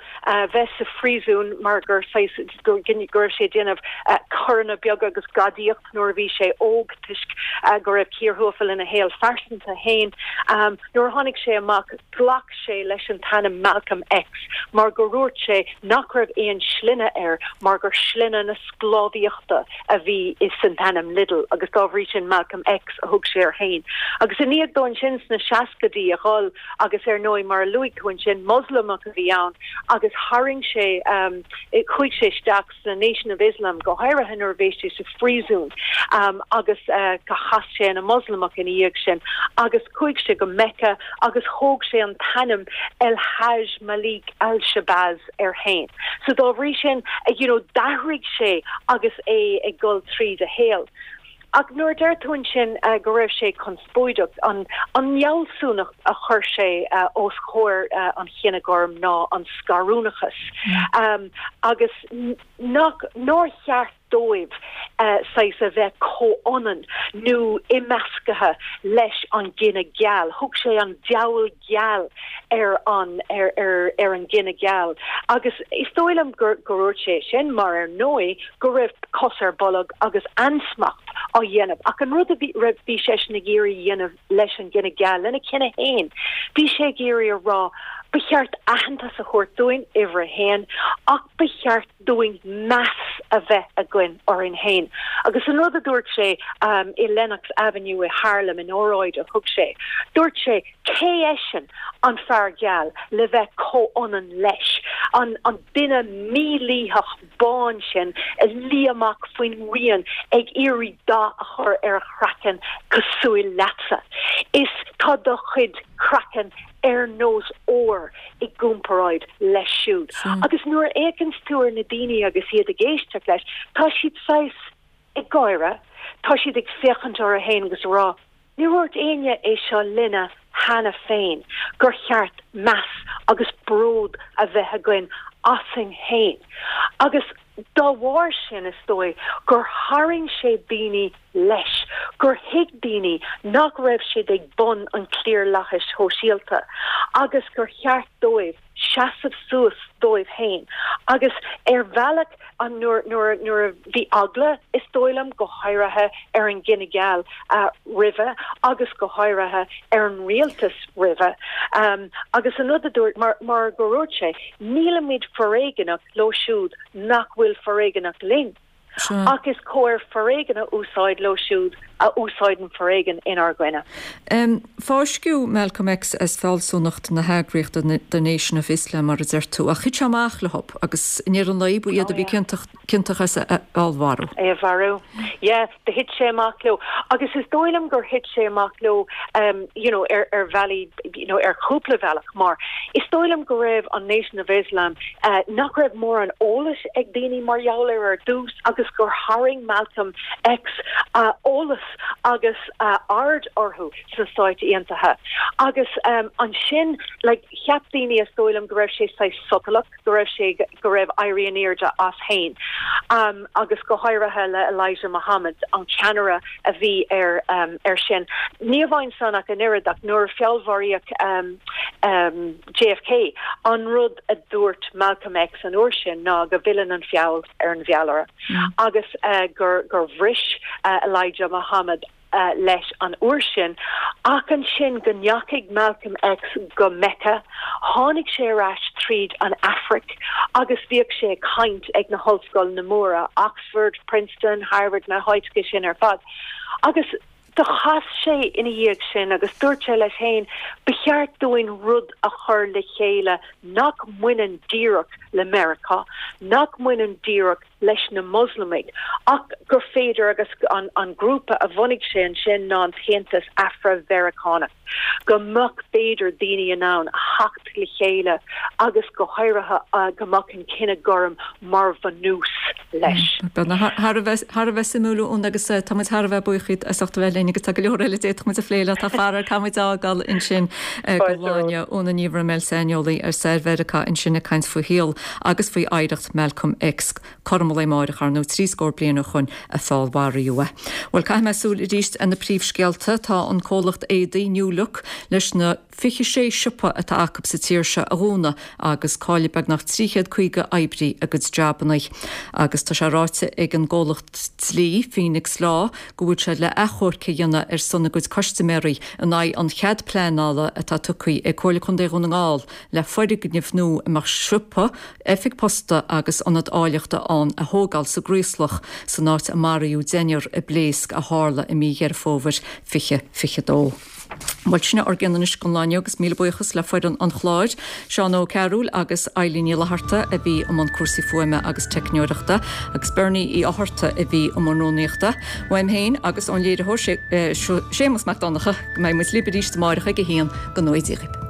bheith sa phríosún mar gur saghas, go raibh sé ag déanamh coireanna beaga agus gadaíocht nuair a bhí sé óg toisc go raibh cíor thuathail ina shaol phearsanta féin, nuair a tháinig sé amach ghlac sé leis an t-ainm Malcolm X mar gur dhúirt sé nach raibh aon sloinne air mar gur sloinne na sclábhaíochta a bhí san t-ainm Little agus dá bhrí sin Malcolm X a thug sé air féin. Agus i ndiaidh dó ansin sna seascaidí a dhul agus ar ndóigh mar a luaigh tú ansin Moslamach a bhí ann agus tharraing sé chuaigh sé isteach sna Nation of Islam go háirithe nuair a bhí sé sa phríosún agus chas sé ina Moslamach ina dhiaidh sin agus chuaigh sé go Mecca agus thóg sé an t-ainm El Hajj Malik Al Shabazz air féin. So dá bhrí sin you know d'athraigh sé agus é ag dul tríd a shaol. Ach nuair a deir tú ansin go raibh sé conspóideach, an fhealsúnacht a chuir sé os comhair an chine gorm ná an scarúnachas agus nach, nár cheart dóibh saghas a bheith comhionann nó imeascaithe leis an gcine geal. Thug sé an diabhal geal ar an ar ar ar an gcine geal agus is dóigh liom gur gur dhúirt sé sin mar ar ndóigh go raibh cos ar bolg agus ansmacht á dhéanamh ach an rud a bhí raibh bhí seisean ag iarraidh a dhéanamh leis an gcine geal lena chine féin bhí sé ag iarraidh a rá ba cheart aitheantas a thabhairt dúinn uimhir a haon ach ba cheart dúinn meas a bheith againn orainn féin. Agus an rud a dúirt sé i Lenox Avenue i Harlem in óráid a thug sé, dúirt sé, cé eisean, an fear geal, le bheith comhionann leis, an duine mílítheach bán sin a luí amach faoin ngrian ag iarraidh dath a chur ar a chraiceann cosúil leatsa. Is tá do chuid craicinn ar nós ór i gcomparáid leis siúd. Agus nuair a fhéachanns tú ar na daoine agus iad ag éisteacht leis, tá siad saghas ag gáire, tá siad ag féachaint orthu féin agus ag rá, níor dhúirt éinne é seo linne cheana féin, gur cheart meas agus bród a bheith againn asainn féin. Agus dá bharr sin, is dóigh, gur tharraing sé daoine leis, gur thuig daoine nach raibh siad ag bun an chliarlathais shóisialta agus gur cheart dóibh seasamh suas dóibh féin. Agus ar bhealach, an nuair nuair nuair a bhí eagla, is dóigh liom, go háirithe ar an gcine geal roimhe agus go háirithe ar an rialtas roimhe, agus an rud a dúirt, mar mar gur dhúirt sé, nílimid foréigeanach leo siúd nach bhfuil foréigeanach linn. Ach is cóir foréigean a úsáid leo siúd a úsáideann foréigean inár gcoinne. Fáisceadh Malcolm X as fealsúnacht na heagraíochta The Nation of Islam, mar a deir tú, ach thit sé amach leo agus i ndeireadh an lae ba iad a bhí ciontach as a fheallmharú. É a mharú. Yeah. Do thit sé amach leo agus is dóigh liom gur thit sé amach leo you know ar ar bhealaí you know ar chúpla bealach mar is dóigh liom go raibh an Nation of Islam nach raibh mórán eolais ag daoine mar gheall air ar dtús agus gur tharraing Malcolm X eolas agus aird orthu sna Stáit Aontaithe agus ansin like cheap daoine is dóigh liom go raibh sé saghas sotalach go raibh sé, go raibh éirí in airde as féin, agus go háirithe le Elijah Muhammad, an ceannaire a bhí air, air sin. Ní amháin san ach an oiread, ach nuair a feallmharaíodh JFK, an rud a dúirt Malcolm X an uair sin ná go bhfilleann an feall ar an bhfeallaire agus gur, gur bhris Elijah Muhammad leis an uair sin, ach ansin go ndeachaigh Malcolm X go Mecca, tháinig sé ar ais tríd an Afraic agus bhíodh sé ag caint ag na hollscoileanna móra, Oxford, Princeton, Harvard, na háiteacha sin ar fad. Agus do chas sé ina dhiaidh sin agus dúirt sé leis féin, ba cheart dúinn rud a chur le chéile nach mbaineann díreach le Meiriceá, nach mbaineann díreach leis na Moslamaigh ach gur féidir agus an grúpa a bhunaigh sé ansin ná an tAontas Afra-Mheiriceánach, go mbeadh b'fhéidir daoine in ann a theacht le chéile agus go háirithe go mbeadh an cine gorm mar bhunús leis. Thar a bheith suimiúil Úna agus tá muid thar a bheith buíoch as ucht a bheith linn. féin agus tá go leor eile a d'fhéadfadh muid a phlé leat ach faraor caithfidh muid fhágáil ansin don lá inniu. Úna Ní Bhroiméil, saineolaí ar stair Mheiriceá ansin ag caint faoi shaol agus faoi oidhreacht Malcolm X. Cothrom an lae amáireach, ar ndóigh, 30 bliain ó shoin a feallmharaíodh é. Bhuel, caithfidh mé súil arís ar na príomhscéalta. Tá an comhlacht éadaí New Look leis na 26 siopa atá acu sa tír seo a dhúnadh agus caillfidh beagnach 350 oibrí a gcuid jabanna. Agus tá sé ráite ag an gcomhlacht dlí, Phoenix Law, go bhfuil siad le achomharc a dhéanamh ar son a gcuid custaiméirí in aghaidh an chead pleanála atá tugtha ag Comhairle Contae Dhún na nGall le foirgneamh nua a mbeadh siopa, oifig posta agus ionad áilleachta ann a thógáil sa gCraoslach san áit a maraíodh deichniúr i bpléasc a tharla i mí Dheireadh Fómhair 2022. Bhuel, sin é ár gcion anois don lá inniu agus míle buíochas le foireann an chláir, Seán Ó Cearúil agus Eilín Ní Fhlatharta a bhí i mbun cúrsaí fuaime agus teicneoireachta agus Bernie Uí Fhátharta a bhí i mbun rúnaíochta. Uaim féin agus ón léiritheoir Séamus Mac Donncha go mbeidh muid libh arís amáireach ag 1 go ngnóthaí Dia dhaoibh.